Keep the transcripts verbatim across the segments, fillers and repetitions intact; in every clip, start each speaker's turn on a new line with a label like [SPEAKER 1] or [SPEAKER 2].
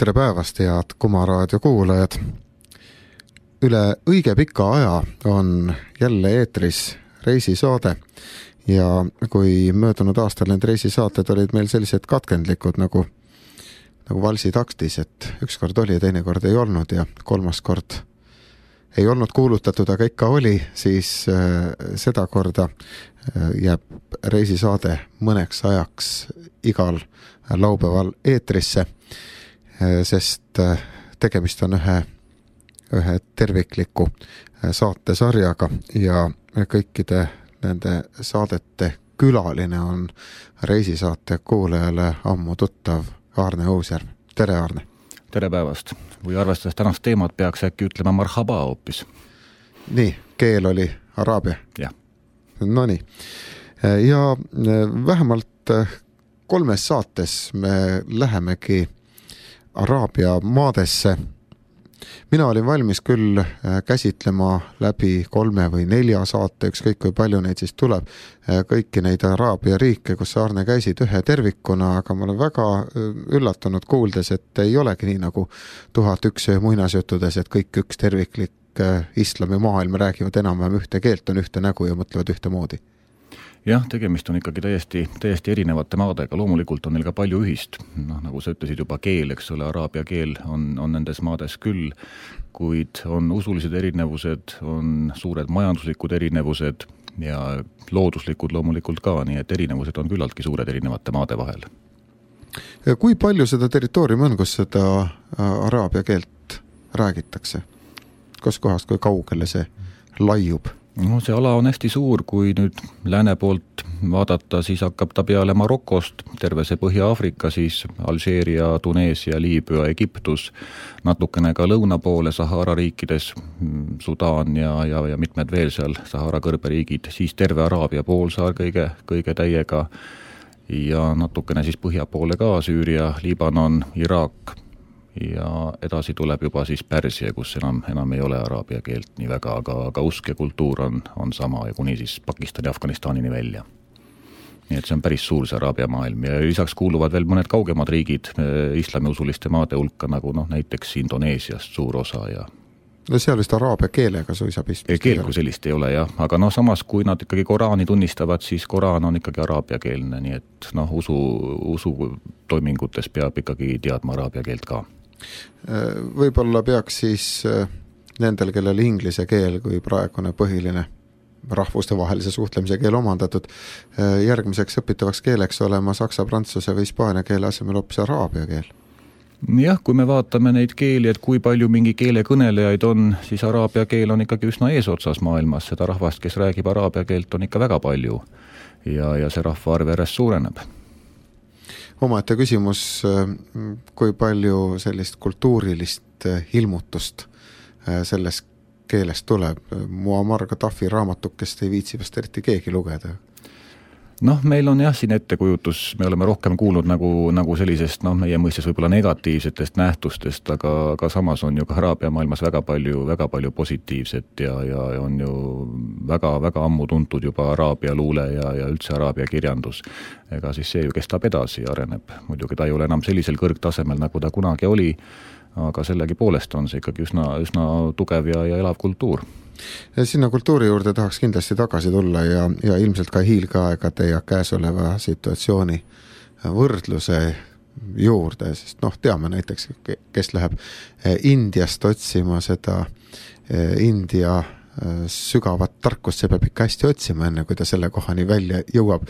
[SPEAKER 1] tere päevast, head Kuma raadio kuulajad. Üle õige pika aja on jälle eetris reisisaade ja kui möödunud aastal need reisisaated olid meil sellised katkendlikud nagu, nagu valsi taktis, et üks kord oli ja teine kord ei olnud ja kolmas kord ei olnud kuulutatud, aga ikka oli, siis äh, seda korda äh, jääb reisisaade mõneks ajaks igal laupäeval eetrisse, äh, sest äh, tegemist on ühe, ühe tervikliku äh, saatesarjaga ja kõikide nende saadete külaline on reisisaate kuulajale ammu tuttav Aarne Uusjärv. Tere, Aarne!
[SPEAKER 2] Tere päevast! Või arvestades tänast teemat peaks äkki ütlema marhaba hoopis.
[SPEAKER 1] Nii, keel oli araabia.
[SPEAKER 2] Jah.
[SPEAKER 1] No nii. Ja vähemalt kolmes saates me lähemegi araabia maadesse. Mina olin valmis küll käsitlema läbi kolme või nelja saate, ükskõik kui palju neid siis tuleb, kõiki neid araabia riike, kus Aarne käisid ühe tervikuna, aga ma olen väga üllatunud kuuldes, et ei olegi nii nagu tuhat üks muinasjuttudes, et kõik üks terviklik islami maailm räägivad enam-vähem ühte keelt, on ühte nägu ja mõtlevad ühte moodi.
[SPEAKER 2] Jah, tegemist on ikkagi täiesti, täiesti erinevate maadega, loomulikult on neil ka palju ühist. No, nagu sa ütlesid juba keel, eks ole, araabia keel on, on nendes maades küll, kuid on usulised erinevused, on suured majanduslikud erinevused ja looduslikud loomulikult ka, nii et erinevused on küllaltki suured erinevate maade vahel.
[SPEAKER 1] Ja kui palju seda territooriumi on, kus seda araabia keelt räägitakse? Kus kohast, kui kaugele see laiub?
[SPEAKER 2] No, see ala on hästi suur, kui nüüd lääne poolt vaadata, siis hakkab ta peale Marokost, terve see Põhja-Afrika, siis Alžeeria, Tuneesia, Liibüa, Egiptus, natukene ka lõuna poole Sahara riikides, Sudaan ja, ja, ja mitmed veel seal Sahara kõrberiigid, siis terve Araabia poolsaar kõige, kõige täiega ja natukene siis põhja poole ka Süüria, Liibanon, Iraak ja edasi tuleb juba siis Pärsia, kus enam, enam ei ole araabia keelt nii väga, aga, aga usk ja kultuur on, on sama ja kuni siis Pakistani ja Afganistanini välja. Nii et see on päris suur see araabia maailm ja lisaks kuuluvad veel mõned kaugemad riigid islamiusuliste maade hulka, nagu noh, näiteks Indoneesiast suur osa ja
[SPEAKER 1] no seal vist araabia keelega suisa pistmist.
[SPEAKER 2] Keel kui sellist ei ole jah, aga noh, samas kui nad ikkagi Koraani tunnistavad, siis Koraan on ikkagi araabia keelne, nii et noh, usu, usu toimingutes peab ikkagi teadma araabia keelt ka.
[SPEAKER 1] Võib-olla peaks siis nendel, kellel inglise keel kui praegune põhiline rahvuste vahelise suhtlemise keel omandatud, järgmiseks õpitavaks keeleks olema saksa, prantsuse või hispaania keele asemel hoopis araabia keel.
[SPEAKER 2] Jah, kui me vaatame neid keeli, et kui palju mingi keele kõnelejaid on, siis araabia keel on ikkagi üsna eesotsas maailmas. Seda rahvast, kes räägib araabia keelt, on ikka väga palju ja, ja see rahvaarv järjest suureneb.
[SPEAKER 1] Omaette küsimus, kui palju sellist kultuurilist ilmutust selles keeles tuleb. Muammar Gaddafi raamatukest ei viitsi vast eriti keegi lugeda.
[SPEAKER 2] Noh, meil on jah siin ettekujutus, me oleme rohkem kuulnud nagu, nagu sellisest, noh, meie mõistes võib-olla negatiivsetest nähtustest, aga, aga samas on ju ka araabia maailmas väga palju, väga palju positiivset ja, ja on ju väga, väga ammu tuntud juba araabia luule ja, ja üldse araabia kirjandus. Ega siis see ju kestab edasi ja areneb. Muidugi ta ei ole enam sellisel kõrgtasemel, nagu ta kunagi oli, aga sellegi poolest on see ikkagi üsna, üsna tugev ja, ja elav kultuur.
[SPEAKER 1] Ja sinna kultuuri juurde tahaks kindlasti tagasi tulla ja, ja ilmselt ka hiilgeaegade ja käesoleva situatsiooni võrdluse juurde, sest noh, teame näiteks, kes läheb Indiast otsima seda India sügavat tarkust, see peab ikka hästi otsima enne, kui ta selle kohani välja jõuab.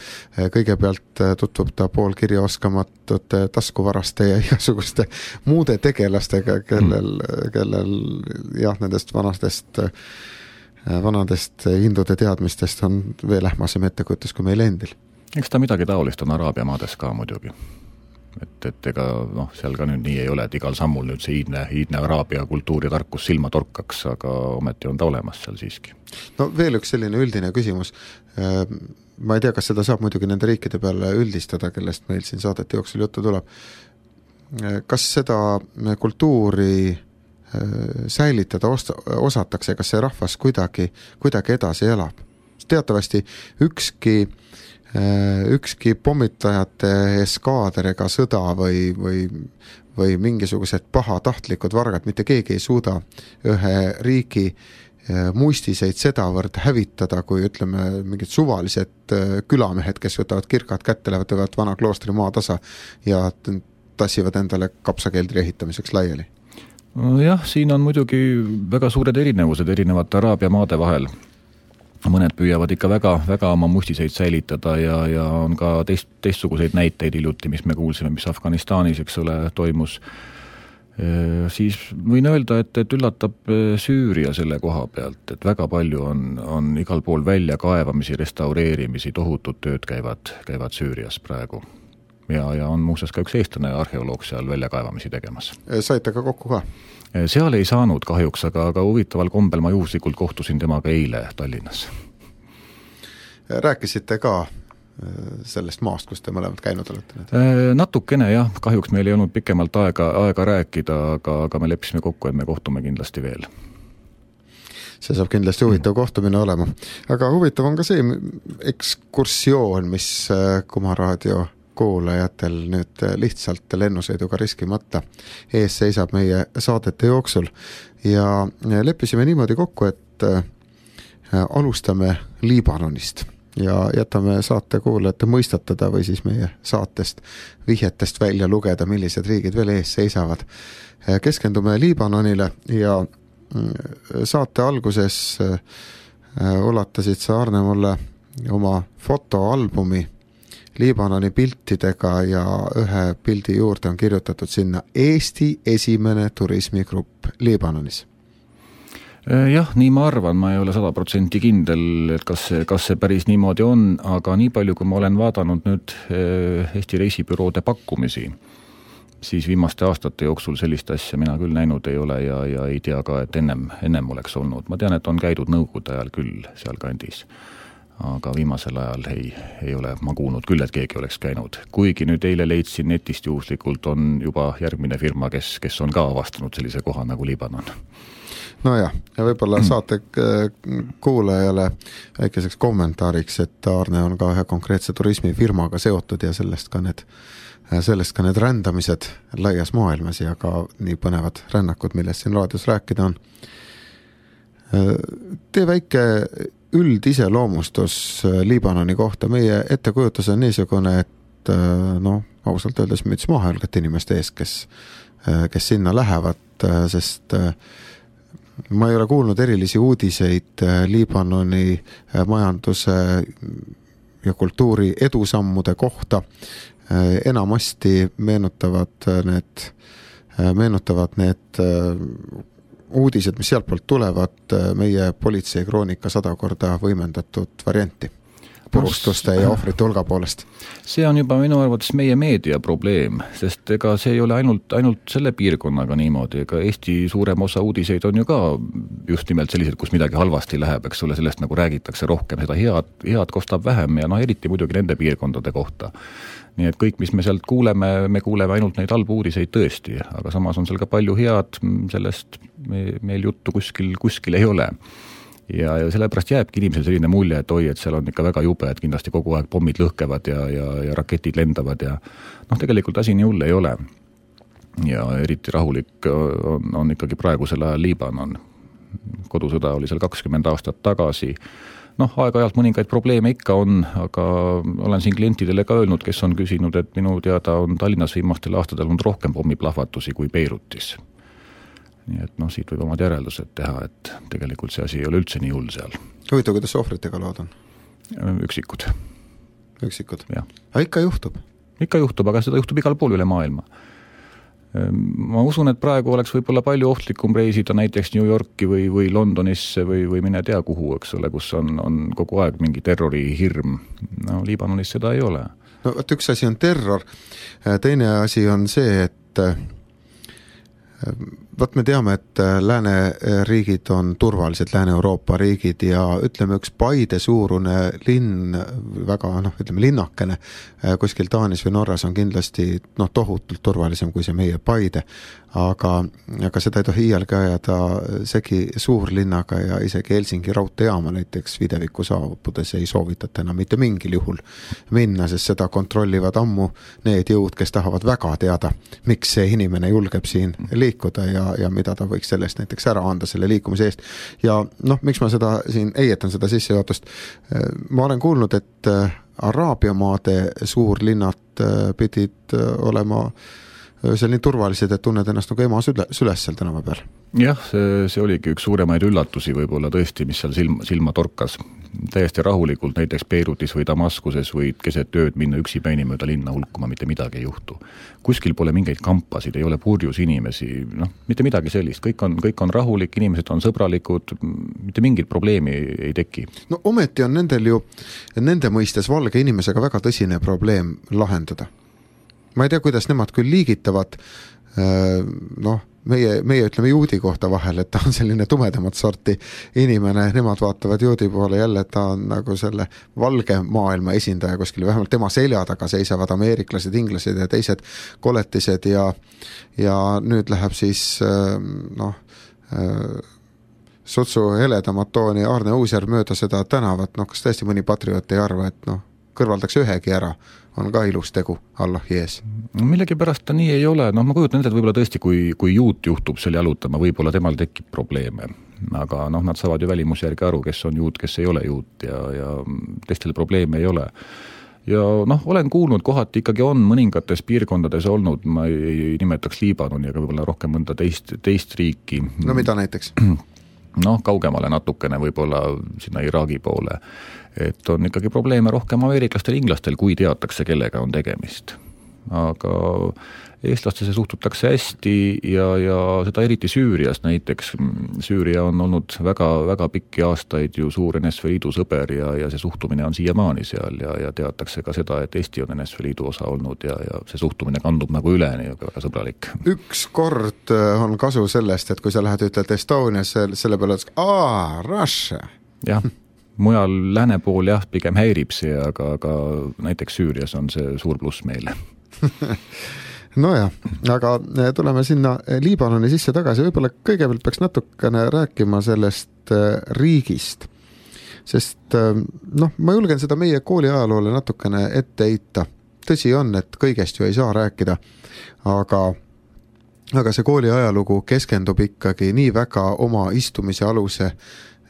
[SPEAKER 1] Kõigepealt tutvub ta pool kirja oskamatute taskuvaraste ja igasuguste muude tegelastega, kellel, kellel jah, nendest vanastest vanadest hindude teadmistest on veel ähmasem ettekujutus kui meil endil.
[SPEAKER 2] Eks ta midagi taolist on araabia maades ka muidugi. Et, et ega noh, seal ka nüüd nii ei ole, et igal sammul nüüd see iidne, iidne araabia kultuur ja tarkus silma torkaks, aga ometi on ta olemas seal siiski.
[SPEAKER 1] No veel üks selline üldine küsimus. Ma ei tea, kas seda saab muidugi nende riikide peale üldistada, kellest meil siin saadete jooksul juttu tuleb. Kas seda kultuuri säilitada osatakse, kas see rahvas kuidagi, kuidagi edasi elab? Teatavasti ükski ükski pommitajate eskaader ega sõda või, või, või mingisugused pahatahtlikud vargad, mitte keegi ei suuda ühe riigi muistiseid sedavõrd hävitada, kui ütleme mingid suvalised külamehed, kes võtavad kirkad kätte, lähevad vana kloostri maa tasa ja tassivad endale kapsakeldri ehitamiseks laiali.
[SPEAKER 2] Jah, siin on muidugi väga suured erinevused erinevate Araabia maade vahel. Mõned püüavad ikka väga, väga oma mustiseid säilitada ja, ja on ka teist, teistsuguseid näiteid hiljuti, mis me kuulsime, mis Afganistanis, eks ole, toimus. E, siis võin öelda, et, et üllatab Süüria selle koha pealt, et väga palju on, on igal pool välja kaevamisi, restaureerimisi, tohutud tööd käivad, käivad Süürias praegu. Ja, ja on muuseas ka üks eestlane arheoloog seal välja kaevamisi tegemas.
[SPEAKER 1] Saite ka kokku ka?
[SPEAKER 2] Seal ei saanud kahjuks, aga, aga huvitaval kombel ma juhuslikult kohtusin temaga eile Tallinnas.
[SPEAKER 1] Rääkisite ka sellest maast, kus te mõlemad käinud olete nüüd?
[SPEAKER 2] Natukene jah, kahjuks meil ei olnud pikemalt aega, aega rääkida, aga, aga me leppisime kokku, et me kohtume kindlasti veel.
[SPEAKER 1] See saab kindlasti huvitav kohtumine olema. Aga huvitav on ka see ekskursioon, mis Kuma Raadio kuulajatel nüüd lihtsalt lennusõiduga riskimata ees seisab meie saadete jooksul ja leppisime niimoodi kokku, et alustame Liibanonist ja jätame saate kuulajate mõistatada või siis meie saatest vihjetest välja lugeda, millised riigid veel ees seisavad. Keskendume Liibanonile ja saate alguses ulatasid sa, Arne, mulle oma fotoalbumi Liibanoni piltidega ja ühe pildi juurde on kirjutatud sinna Eesti esimene turismigrupp Liibanonis.
[SPEAKER 2] Jah, nii ma arvan, ma ei ole sada protsenti kindel, et kas see, kas see päris niimoodi on, aga nii palju, kui ma olen vaadanud nüüd Eesti reisibüroode pakkumisi, siis viimaste aastate jooksul sellist asja mina küll näinud ei ole ja, ja ei tea ka, et ennem, ennem oleks olnud. Ma tean, et on käidud nõukogude ajal küll seal kandis. Aga viimasel ajal ei, ei ole ma kuulnud küll, et keegi oleks käinud. Kuigi nüüd eile leidsin netist juhuslikult on juba järgmine firma, kes, kes on ka avastanud sellise koha nagu Liibanon.
[SPEAKER 1] No jah, ja võib-olla saate kuulajale väikeseks kommentaariks, et Arne on ka ühe konkreetse turismifirmaga seotud ja sellest ka need, sellest ka need rändamised laias maailmas ja ka nii põnevad rännakud, millest siin raadios rääkida on. Tee väike üldiseloomustus Liibanoni kohta. Meie ettekujutus on niisugune, et noh, ausalt öeldes müts maha jalgati inimeste ees, kes, kes sinna lähevad, sest ma ei ole kuulnud erilisi uudiseid Liibanoni majanduse ja kultuuri edusammude kohta. Enamasti meenutavad need, meenutavad need uudised, mis sealt poolt tulevad, meie politsei kroonika sada korda võimendatud varianti purustuste ja ohvrite hulga poolest.
[SPEAKER 2] See on juba minu arvates meie meedia probleem, sest ega see ei ole ainult, ainult selle piirkonnaga niimoodi, ega Eesti suurem osa uudiseid on ju ka just nimelt sellised, kus midagi halvasti läheb, eks ole, sellest nagu räägitakse rohkem, seda head, head kostab vähem ja no eriti muidugi nende piirkondade kohta. Nii et kõik, mis me sealt kuuleme, me kuuleme ainult neid halbu uudiseid tõesti, aga samas on seal ka palju head, sellest meil juttu kuskil, kuskil ei ole. Ja, ja sellepärast jääbki inimesel selline mulje, et oi, et seal on ikka väga jube, et kindlasti kogu aeg pommid lõhkevad ja, ja, ja raketid lendavad ja noh, tegelikult asi nii hull ei ole. Ja eriti rahulik on, on ikkagi praegusel ajal Liibanon. Kodusõda oli seal kakskümmend aastat tagasi. Noh, aeg-ajalt mõningaid probleeme ikka on, aga olen siin klientidele ka öelnud, kes on küsinud, et minu teada on Tallinnas viimastel aastatel olnud rohkem pommiplahvatusi kui Beirutis. Nii et noh, siit võib omad järeldused teha, et tegelikult see asi ei ole üldse nii hull seal.
[SPEAKER 1] Huvitav, kuidas ohvritega lood on?
[SPEAKER 2] Üksikud.
[SPEAKER 1] Üksikud?
[SPEAKER 2] Jah.
[SPEAKER 1] Aga ikka juhtub?
[SPEAKER 2] Ikka juhtub, aga seda juhtub igal pool üle maailma. Ma usun, et praegu oleks võib-olla palju ohtlikum reisida näiteks New Yorki või, või Londonisse või, või mine tea kuhu, eks ole, kus on, on kogu aeg mingi terrorihirm. No Liibanonis seda ei ole.
[SPEAKER 1] No et üks asi on terror, teine asi on see, et Võt me teame, et lääneriigid on turvalised, Lääne-Euroopa riigid ja ütleme, üks Paide suurune linn, väga noh, ütleme linnakene, kuskil Taanis või Norras on kindlasti noh, tohutult turvalisem kui see meie Paide, aga, aga seda ei tohi iialgi ajada segi suurlinnaga ja isegi Helsingi raudteejaama näiteks videviku saabudes ei soovitata enam mitte mingil juhul minna, sest seda kontrollivad ammu need jõud, kes tahavad väga teada, miks see inimene julgeb siin liikuda ja ja mida ta võiks sellest näiteks ära anda selle liikumise eest. Ja noh, miks ma seda siin eietan seda sissejuhatust? Ma olen kuulnud, et Araabia maade suurlinnad pidid olema seal nii turvalised, et tunned ennast nagu ema süles seal tänava peal.
[SPEAKER 2] Jah, see, see oligi üks suuremaid üllatusi võib-olla tõesti, mis seal silma, silma torkas. Täiesti rahulikult näiteks Beirutis või Damaskuses võid keset ööd minna üksipäini mööda linna hulkuma, mitte midagi ei juhtu. Kuskil pole mingeid kampasid, ei ole purjus inimesi, noh, mitte midagi sellist. Kõik on, kõik on rahulik, inimesed on sõbralikud, mitte mingit probleemi ei teki. No
[SPEAKER 1] ometi on nendel ju, nende mõistes valge inimesega väga tõsine probleem lahendada. Ma ei tea, kuidas nemad küll liigitavad, noh, meie, meie ütleme juudi kohta vahel, et ta on selline tumedamat sorti inimene, nemad vaatavad juudi poole jälle, et ta on nagu selle valge maailma esindaja kuskil, vähemalt tema selja taga seisavad ameeriklased, inglased ja teised koletised ja, ja nüüd läheb siis noh, sutsu heledamat tooni Arne Uusjärv mööda seda tänavat, noh kas tõesti mõni patrioot ei arva, et noh, kõrvaldaks ühegi ära, on ka ilus tegu Allahi ees.
[SPEAKER 2] Millegi pärast ta nii ei ole, noh ma kujutan enda, et võib-olla tõesti, kui, kui juut juhtub seal jalutama, võib-olla temal tekib probleeme, aga noh, nad saavad ju välimus järgi aru, kes on juut, kes ei ole juut ja, ja teistel probleeme ei ole. Ja noh, olen kuulnud, kohati ikkagi on mõningates piirkondades olnud, ma ei, ei nimetaks Liibanoni, aga võib-olla rohkem mõnda teist, teist riiki.
[SPEAKER 1] No mida näiteks?
[SPEAKER 2] Noh, kaugemale natukene võib-olla sinna Iraagi poole, et on ikkagi probleeme rohkem ameeriklastel, inglastel, kui teatakse, kellega on tegemist. Aga eestlastesse suhtutakse hästi ja, ja seda eriti Süürias näiteks. Süüria on olnud väga, väga pikki aastaid ju suur N S V Liidu sõber ja, ja see suhtumine on siiamaani seal ja, ja teatakse ka seda, et Eesti on N S V Liidu osa olnud ja, ja see suhtumine kandub nagu üle, nii väga sõbralik.
[SPEAKER 1] Üks kord on kasu sellest, et kui sa lähed ütled Estonias, selle peale ütles, aa, Russia.
[SPEAKER 2] Jah, mujal lääne pool jah, pigem häirib see, aga, aga näiteks Süürias on see suur pluss meile.
[SPEAKER 1] Nojah, aga tuleme sinna Liibanoni sisse tagasi, võib-olla kõigepealt peaks natukene rääkima sellest riigist, sest noh, ma julgen seda meie kooli ajaloole natukene ette heita. Tõsi on, et kõigest ju ei saa rääkida, aga aga see kooli ajalugu keskendub ikkagi nii väga oma istumise aluse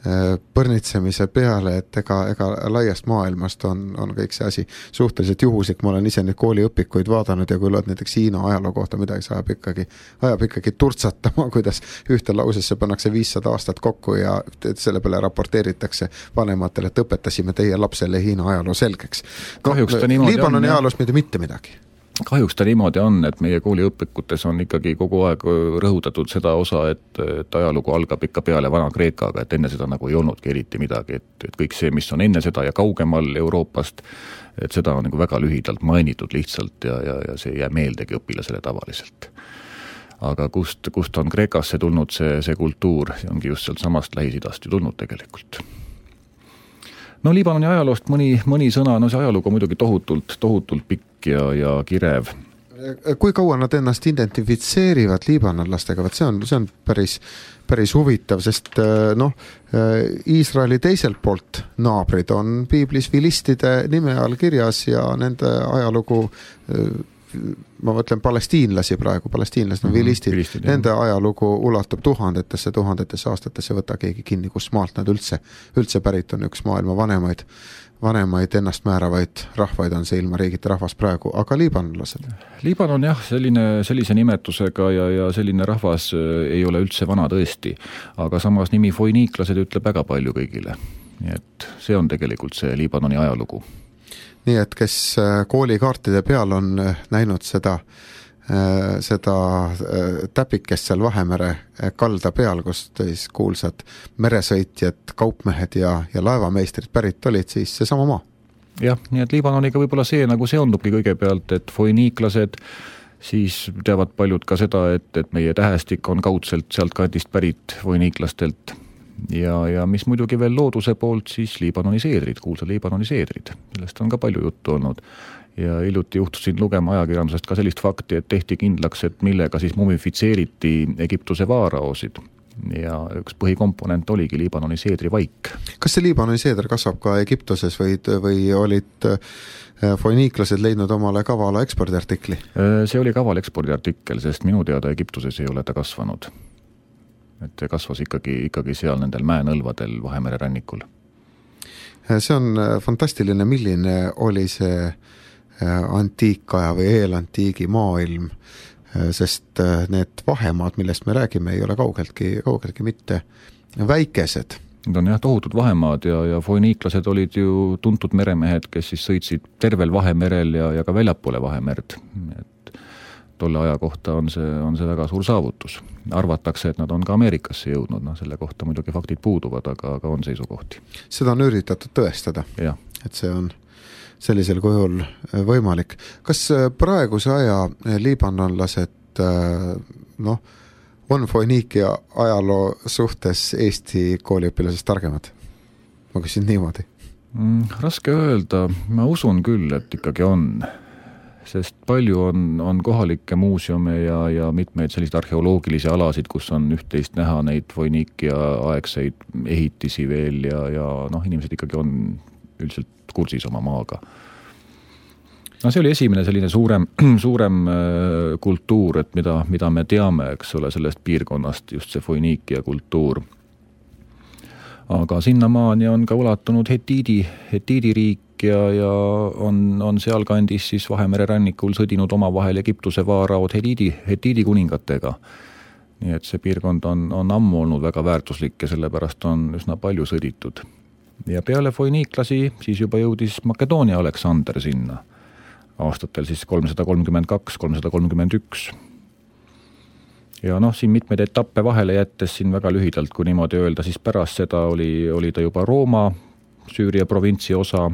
[SPEAKER 1] põrnitsemise peale, et ega, ega laiast maailmast on, on kõik see asi suhteliselt juhuslik. Ma olen ise neid kooliõpikuid vaadanud ja kui loed näiteks Hiina ajaloo kohta midagi, ajab ikkagi, ajab ikkagi turtsatama, kuidas ühte lausesse pannakse viissada aastat kokku ja selle peale raporteeritakse vanematele, et õpetasime teie lapsele Hiina ajaloo selgeks. No, Liibanoni ajaloost mitte mitte midagi.
[SPEAKER 2] Kahjuks ta niimoodi on, et meie kooliõpikutes on ikkagi kogu aeg rõhutatud seda osa, et, et ajalugu algab ikka peale Vana-Kreekaga, et enne seda nagu ei olnudki eriti midagi, et, et kõik see, mis on enne seda ja kaugemal Euroopast, et seda on nagu väga lühidalt mainitud lihtsalt ja, ja, ja see jää meeldegi õpilasele tavaliselt. Aga kust, kust on Kreekasse tulnud see, see kultuur, see ongi just sealt samast Lähis-Idast ju tulnud tegelikult. No Liibanoni ajaloost mõni, mõni sõna, no see ajalugu on muidugi tohutult, tohutult pikk ja, ja kirev.
[SPEAKER 1] Kui kaua nad ennast identifitseerivad liibanonlastega, see on, see on päris, päris huvitav, sest noh, Iisraeli teiselt poolt naabrid on piiblis vilistide nime all kirjas ja nende ajalugu, ma mõtlen palestiinlasi praegu, palestiinlased on vilistid, vilistid, nende ajalugu ulatub tuhandetesse, tuhandetesse aastatesse, võta keegi kinni, kus maalt nad üldse, üldse pärit on üks maailma vanemaid, vanemaid ennast määravaid rahvaid on see ilma riigite rahvas praegu, aga liibanlased?
[SPEAKER 2] Liibanon jah, selline, sellise nimetusega ja, ja selline rahvas ei ole üldse vana tõesti, aga samas nimi foiniiklased ütleb väga palju kõigile, nii et see on tegelikult see Liibanoni ajalugu.
[SPEAKER 1] Nii et kes koolikaartide peal on näinud seda, seda täpikest seal Vahemere kalda peal, kus tõis kuulsad meresõitjad, kaupmehed ja, ja laevameistrid pärit olid, siis see sama maa.
[SPEAKER 2] Jah, nii et Liibanoniga võib-olla see nagu seondubki kõigepealt, et foiniiklased, siis teavad paljud ka seda, et, et meie tähestik on kaudselt sealt kandist pärit voiniiklastelt ja, ja mis muidugi veel looduse poolt, siis Liibanoni seedrid, kuulsa Liibanoni seedrid, millest on ka palju juttu olnud. Ja hiljuti juhtusin lugema ajakirjandusest ka sellist fakti, et tehti kindlaks, et millega siis mumifitseeriti Egiptuse vaaraosid. Ja üks põhikomponent oligi Liibanoni seedri vaik.
[SPEAKER 1] Kas see Liibanoni seeder kasvab ka Egiptuses või, või olid foiniiklased leidnud omale kavala ekspordiartikli?
[SPEAKER 2] See oli kaval ekspordiartikkel, sest minu teada Egiptuses ei ole ta kasvanud. Et kasvas ikkagi, ikkagi seal nendel mäenõlvadel Vahemere rannikul.
[SPEAKER 1] See on fantastiline, milline oli see antiikaja või eelantiigi maailm, sest need vahemaad, millest me räägime, ei ole kaugeltki, kaugeltki mitte väikesed.
[SPEAKER 2] Need on jah tohutud vahemaad ja, ja foiniiklased olid ju tuntud meremehed, kes siis sõitsid tervel Vahemerel ja, ja ka väljapoole Vahemerd. Et tolle aja kohta on see, on see väga suur saavutus. Arvatakse, et nad on ka Ameerikasse jõudnud, no selle kohta muidugi faktid puuduvad, aga, aga on seisukohti.
[SPEAKER 1] Seda on üritatud tõestada,
[SPEAKER 2] ja.
[SPEAKER 1] Et see on sellisel kujul võimalik. Kas praeguse aja liibanonlased noh, on foiniikia ajaloo suhtes Eesti kooliõpilasest targemad? Ma küsin niimoodi.
[SPEAKER 2] Mm, raske öelda, ma usun küll, et ikkagi on. Sest palju on, on kohalikke muuseume ja, ja mitmeid selliseid arheoloogilisi alasid, kus on üht-teist näha neid foiniikia aegseid ehitisi veel ja, ja noh, inimesed ikkagi on üldiselt kursis oma maaga. No see oli esimene selline suurem, suurem kultuur, et mida, mida me teame, eks ole, sellest piirkonnast, just see foiniikia kultuur. Aga sinnamaani on ka ulatunud Hetiidi, Hetiidi riik ja, ja on, on seal kandis siis Vahemere rannikul sõdinud omavahel Egiptuse vaaraod Hetiidi, Hetiidi kuningatega. Nii et see piirkond on, on ammu olnud väga väärtuslik ja sellepärast on üsna palju sõditud. Ja peale foiniiklasi siis juba jõudis Makedoonia Aleksander sinna aastatel siis kolmsada kolmkümmend kaks kolmsada kolmkümmend üks. Ja noh, siin mitmeid etappe vahele jättes siin väga lühidalt, kui niimoodi öelda, siis pärast seda oli, oli ta juba Rooma, Süüria provintsi osa,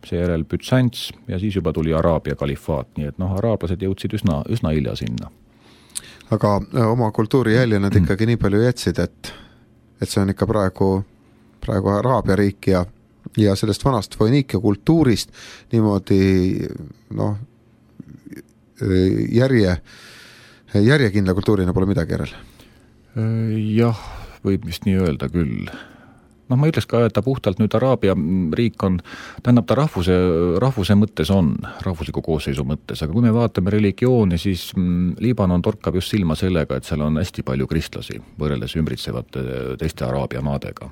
[SPEAKER 2] seejärel Bütsants ja siis juba tuli Araabia kalifaat, nii et noh, araablased jõudsid üsna, üsna hilja sinna.
[SPEAKER 1] Aga oma kultuuri jälje nad ikkagi nii palju jätsid, et, et see on ikka praegu praegu Araabia riik ja, ja sellest vanast foiniikia kultuurist niimoodi noh, järje, järjekindla kultuurina pole midagi järel.
[SPEAKER 2] Jah, võib vist nii öelda küll. Noh, ma ütleks ka, et ta puhtalt nüüd Araabia riik on, tähendab ta rahvuse, rahvuse mõttes on, rahvusliku koosseisu mõttes, aga kui me vaatame religiooni, siis Liibanon torkab just silma sellega, et seal on hästi palju kristlasi võrreldes ümbritsevate teiste Araabia maadega.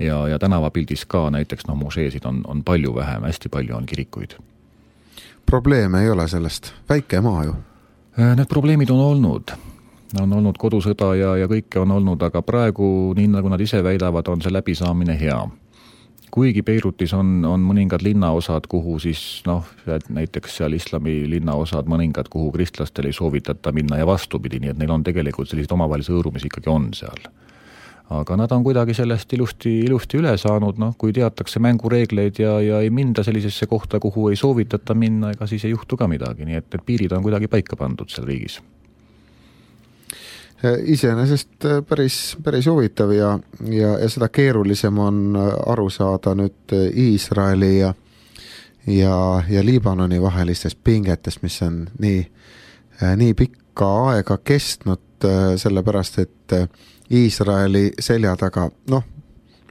[SPEAKER 2] Ja, ja tänavapildis ka näiteks no, museesid on, on palju vähem, hästi palju on kirikuid.
[SPEAKER 1] Probleeme ei ole sellest, väike maa ju.
[SPEAKER 2] Need probleemid on olnud. On olnud kodusõda ja, ja kõike on olnud, aga praegu, nii nagu nad ise väidavad, on see läbisaamine hea. Kuigi Beirutis on, on mõningad linnaosad, kuhu siis, noh, näiteks seal islami linnaosad, mõningad, kuhu kristlastel ei soovitata minna ja vastupidi, nii et neil on tegelikult sellised omavahelise õõrumis ikkagi on seal. Aga nad on kuidagi sellest ilusti, ilusti üle saanud, noh, kui teatakse mängureegleid ja, ja ei minda sellisesse kohta, kuhu ei soovitata minna, ega siis ei juhtu ka midagi, nii et, et piirid on kuidagi paika pandud seal riigis.
[SPEAKER 1] Iseenesest päris, päris huvitav ja, ja, ja seda keerulisem on aru saada nüüd Iisraeli ja, ja, ja Liibanoni vahelistes pingetes, mis on nii, nii pikka aega kestnud, sellepärast et Iisraeli selja taga, noh,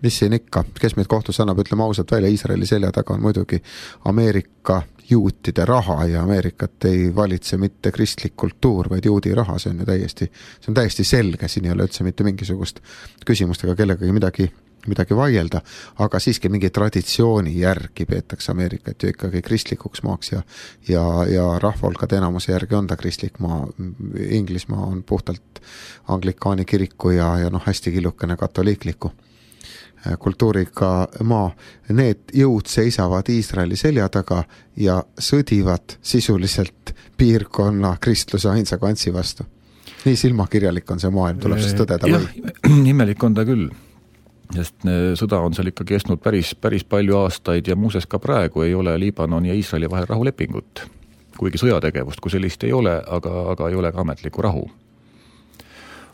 [SPEAKER 1] mis siin ikka, kes meid kohtus annab, ütleme ausalt välja, Iisraeli selja taga on muidugi Ameerika juutide raha ja Ameerikat ei valitse mitte kristlik kultuur, vaid juudi raha, see on ju täiesti, see on täiesti selge, siin ei ole üldse mitte mingisugust küsimustega kellegagi midagi, midagi vaielda, aga siiski mingi traditsiooni järgi peetakse Ameerikat ju ikkagi kristlikuks maaks ja, ja, ja rahvahulkade enamuse järgi on ta kristlik maa. Inglismaa on puhtalt anglikaani kiriku ja, ja noh, hästi killukene katoliikliku kultuuriga maa. Need jõud seisavad Iisraeli selja taga ja sõdivad sisuliselt piirkonna kristluse ainsa kantsi vastu. Nii silmakirjalik on see maailm, tuleb siis tõdeda
[SPEAKER 2] või? Jah, imelik on ta küll. Sest sõda on seal ikka kestnud päris, päris palju aastaid ja muuses ka praegu ei ole Liibanon ja Iisraeli vahel rahulepingut. kuigi sõjategevust kui sellist ei ole, aga, aga ei ole ka ametlikku rahu.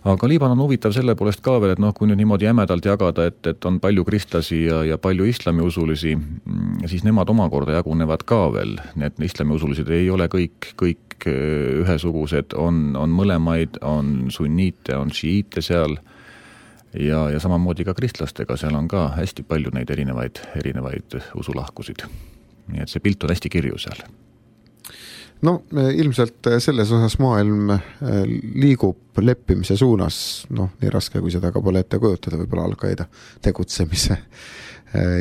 [SPEAKER 2] Aga Liibanon on huvitav selle poolest ka veel, et noh, kui nüüd niimoodi jämedalt jagada, et, et on palju kristlasi ja, ja palju islamiusulisi, siis nemad omakorda jagunevad ka veel. Need islamiusulised ei ole kõik, kõik ühesugused, on, on mõlemaid, on sunniite, on šiiite seal ja, ja samamoodi ka kristlastega, seal on ka hästi palju neid erinevaid, erinevaid usulahkusid. Nii et see pilt on hästi kirju seal.
[SPEAKER 1] No ilmselt selles osas maailm liigub leppimise suunas, noh, nii raske kui seda ka pole ette kujutada, võib-olla Al-Qaeda tegutsemise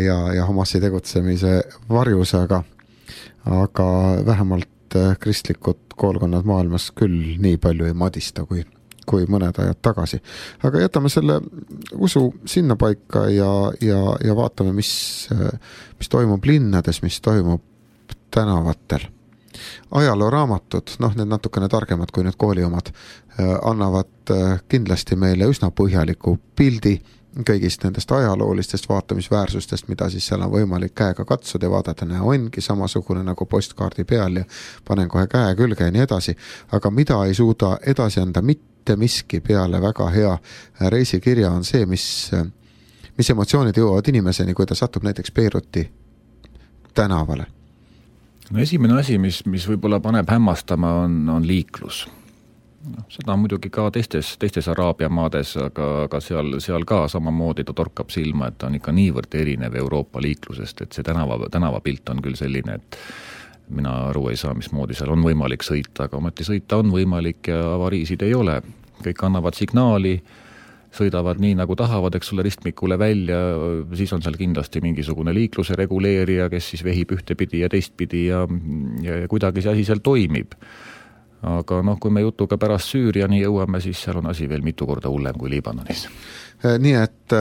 [SPEAKER 1] ja, ja Hamasi tegutsemise varjus, aga, aga vähemalt kristlikud koolkonnad maailmas küll nii palju ei madista kui, kui mõned ajad tagasi. Aga jätame selle usu sinna paika ja, ja, ja vaatame, mis, mis toimub linnades, mis toimub tänavatel. Ajalooraamatud, noh, need natukene targemad kui need kooli omad, annavad kindlasti meile üsna põhjaliku pildi kõigist nendest ajaloolistest vaatamisväärsustest, mida siis seal on võimalik käega katsuda ja vaadata, näe, ongi samasugune nagu postkaardi peal ja panen kohe käe külge ja nii edasi, aga mida ei suuda edasi anda mitte miski peale väga hea reisikirja on see, mis, mis emotsioonid jõuavad inimeseni, kui ta satub näiteks Beiruti tänavale.
[SPEAKER 2] No esimene asi, mis, mis võib-olla paneb hämmastama, on, on liiklus. No, seda on muidugi ka teistes, teistes Araabia maades, aga, aga seal, seal ka samamoodi ta torkab silma, et ta on ikka niivõrd erinev Euroopa liiklusest, et see tänava, tänavapilt on küll selline, et mina aru ei saa, mismoodi seal on võimalik sõita, aga ometi sõita on võimalik ja avariisid ei ole. Kõik annavad signaali, sõidavad nii, nagu tahavad, eks sulle ristmikule välja, siis on seal kindlasti mingisugune liikluse reguleerija, kes siis vehib ühtepidi ja teistpidi ja, ja, ja kuidagi see asi seal toimib. Aga noh, kui me jutuga pärast Süüriani jõuame, siis seal on asi veel mitu korda hullem kui Liibanonis.
[SPEAKER 1] Nii et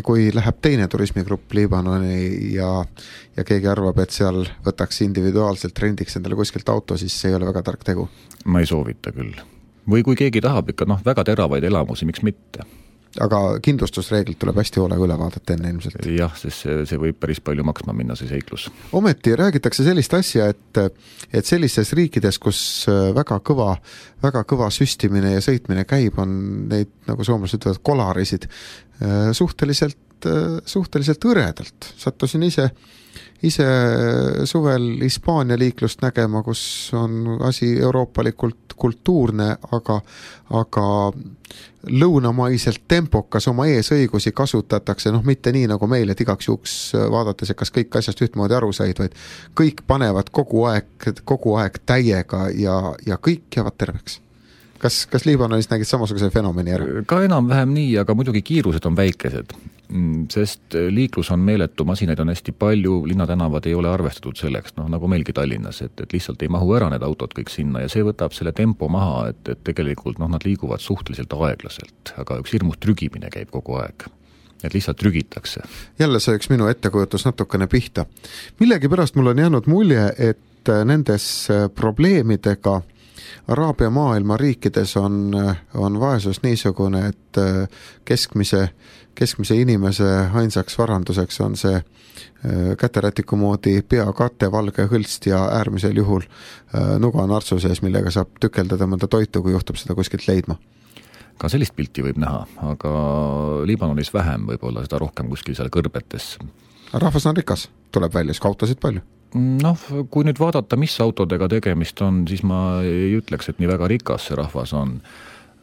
[SPEAKER 1] kui läheb teine turismigrupp Liibanoni ja, ja keegi arvab, et seal võtaks individuaalselt rendiks endale kuskilt auto, siis see ei ole väga tark tegu.
[SPEAKER 2] Ma ei soovita küll. Või kui keegi tahab ikka noh, väga teravaid elamusi, miks mitte?
[SPEAKER 1] Aga kindlustusreeglid tuleb hästi hoolega üle vaadata enne ilmselt.
[SPEAKER 2] Jah, sest see, see võib päris palju maksma minna, see seiklus.
[SPEAKER 1] Ometi räägitakse sellist asja, et, et sellistes riikides, kus väga kõva, väga kõva süstimine ja sõitmine käib, on neid, nagu soomlased ütlevad, kolarisid suhteliselt, suhteliselt õredalt. Sattusin ise ise suvel Hispaania liiklust nägema, kus on asi euroopalikult kultuurne, aga, aga lõunamaiselt tempokas oma eesõigusi kasutatakse, noh mitte nii nagu meil, et igaks juhuks vaadates, et kas kõik asjast ühtmoodi aru said, vaid kõik panevad kogu aeg, kogu aeg täiega ja, ja kõik jäävad terveks. Kas, kas Liibanonis nägid samasuguse fenomeni ära?
[SPEAKER 2] Ka enam-vähem nii, aga muidugi kiirused on väikesed, sest liiklus on meeletu, masinaid on hästi palju, linnatänavad ei ole arvestatud selleks, noh nagu meilgi Tallinnas, et, et lihtsalt ei mahu ära need autod kõik sinna ja see võtab selle tempo maha, et, et tegelikult noh, nad liiguvad suhteliselt aeglaselt, aga üks hirmus trügimine käib kogu aeg. Et lihtsalt trügitakse. Jälle
[SPEAKER 1] see üks minu ettekujutus natukene pihta. Millegi pärast mul on jäänud mulje, et nendes probleemidega Araabia maailma riikides on, on vaesus niisugune, et keskmise, keskmise inimese ainsaks varanduseks on see käterätiku moodi peakate, valge hõlst ja äärmisel juhul nuga nartsu sees, millega saab tükeldada mõnda toitu, kui juhtub seda kuskilt leidma.
[SPEAKER 2] Ka sellist pilti võib näha, aga Liibanonis vähem võib-olla seda rohkem kuskil seal kõrbetes.
[SPEAKER 1] Rahvas on rikas, tuleb välja, siis autosid palju.
[SPEAKER 2] Noh, kui nüüd vaadata, mis autodega tegemist on, siis ma ei ütleks, et nii väga rikas see rahvas on.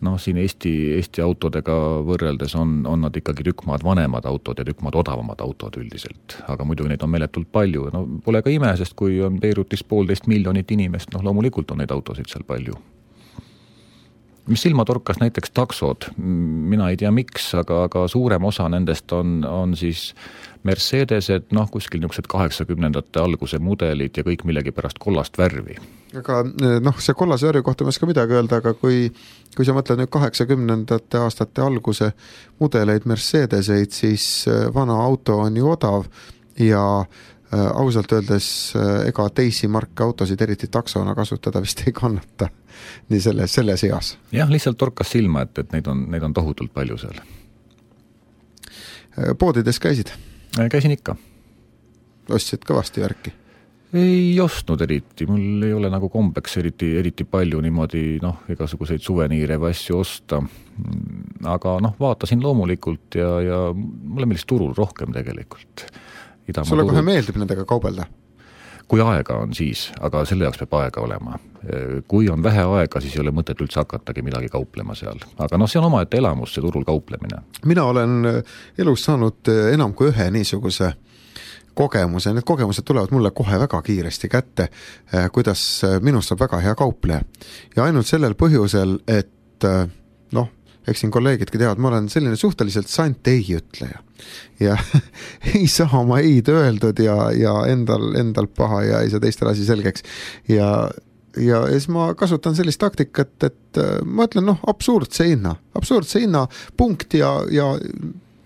[SPEAKER 2] Noh, siin Eesti, Eesti autodega võrreldes on, on nad ikkagi tükmaad vanemad autod ja tükmaad odavamad autod üldiselt. Aga muidu neid on meeletult palju. No, pole ka ime, sest kui on Beirutis poolteist miljonit inimest, noh loomulikult on neid autosid seal palju. Mis silma torkas näiteks taksod, mina ei tea miks, aga, aga suurem osa nendest on, on siis Mercedesed, noh kuskil niisugused kaheksakümnendate alguse mudelid ja kõik millegi pärast kollast värvi.
[SPEAKER 1] Aga noh, see kollase värvi kohta ma ei oska midagi öelda, aga kui, kui sa mõtled nüüd kaheksakümnendate aastate alguse mudeleid Mercedeseid, siis vana auto on ju odav ja äh, ausalt öeldes äh, ega teisi marke autosid eriti taksona kasutada vist ei kannata nii selle, selle seas.
[SPEAKER 2] Jah, lihtsalt torkas silma, et, et neid on, neid on tohutult palju seal.
[SPEAKER 1] Poodides käisid?
[SPEAKER 2] Käisin ikka.
[SPEAKER 1] Ostsid kõvasti värki?
[SPEAKER 2] ei ostnud eriti, mul ei ole nagu kombeks eriti, eriti palju niimoodi noh, igasuguseid suveniire või asju osta, aga noh, vaatasin loomulikult ja, ja mulle meeldis turul rohkem tegelikult. Idamaa
[SPEAKER 1] sulle
[SPEAKER 2] turul...
[SPEAKER 1] kohe meeldib nendega kaubelda?
[SPEAKER 2] Kui aega on siis, aga selle jaoks peab aega olema. Kui on vähe aega, siis ei ole mõtet üldse hakatagi midagi kauplema seal. Aga noh, see on omaette elamus, see turul kauplemine.
[SPEAKER 1] Mina olen elus saanud enam kui ühe niisuguse kogemuse, need kogemused tulevad mulle kohe väga kiiresti kätte, kuidas minust saab väga hea kaupleja. Ja ainult sellel põhjusel, et noh, eks siin kolleegidki teavad, ma olen selline suhteliselt sant ei ütleja. Ja ei saa oma eid öeldud ja, ja endal, endal paha ja ei saa teistel asi selgeks. Ja, ja siis ma kasutan sellist taktikat, et ma ütlen, noh, absurdse hinna, absurdse hinna punkt ja, ja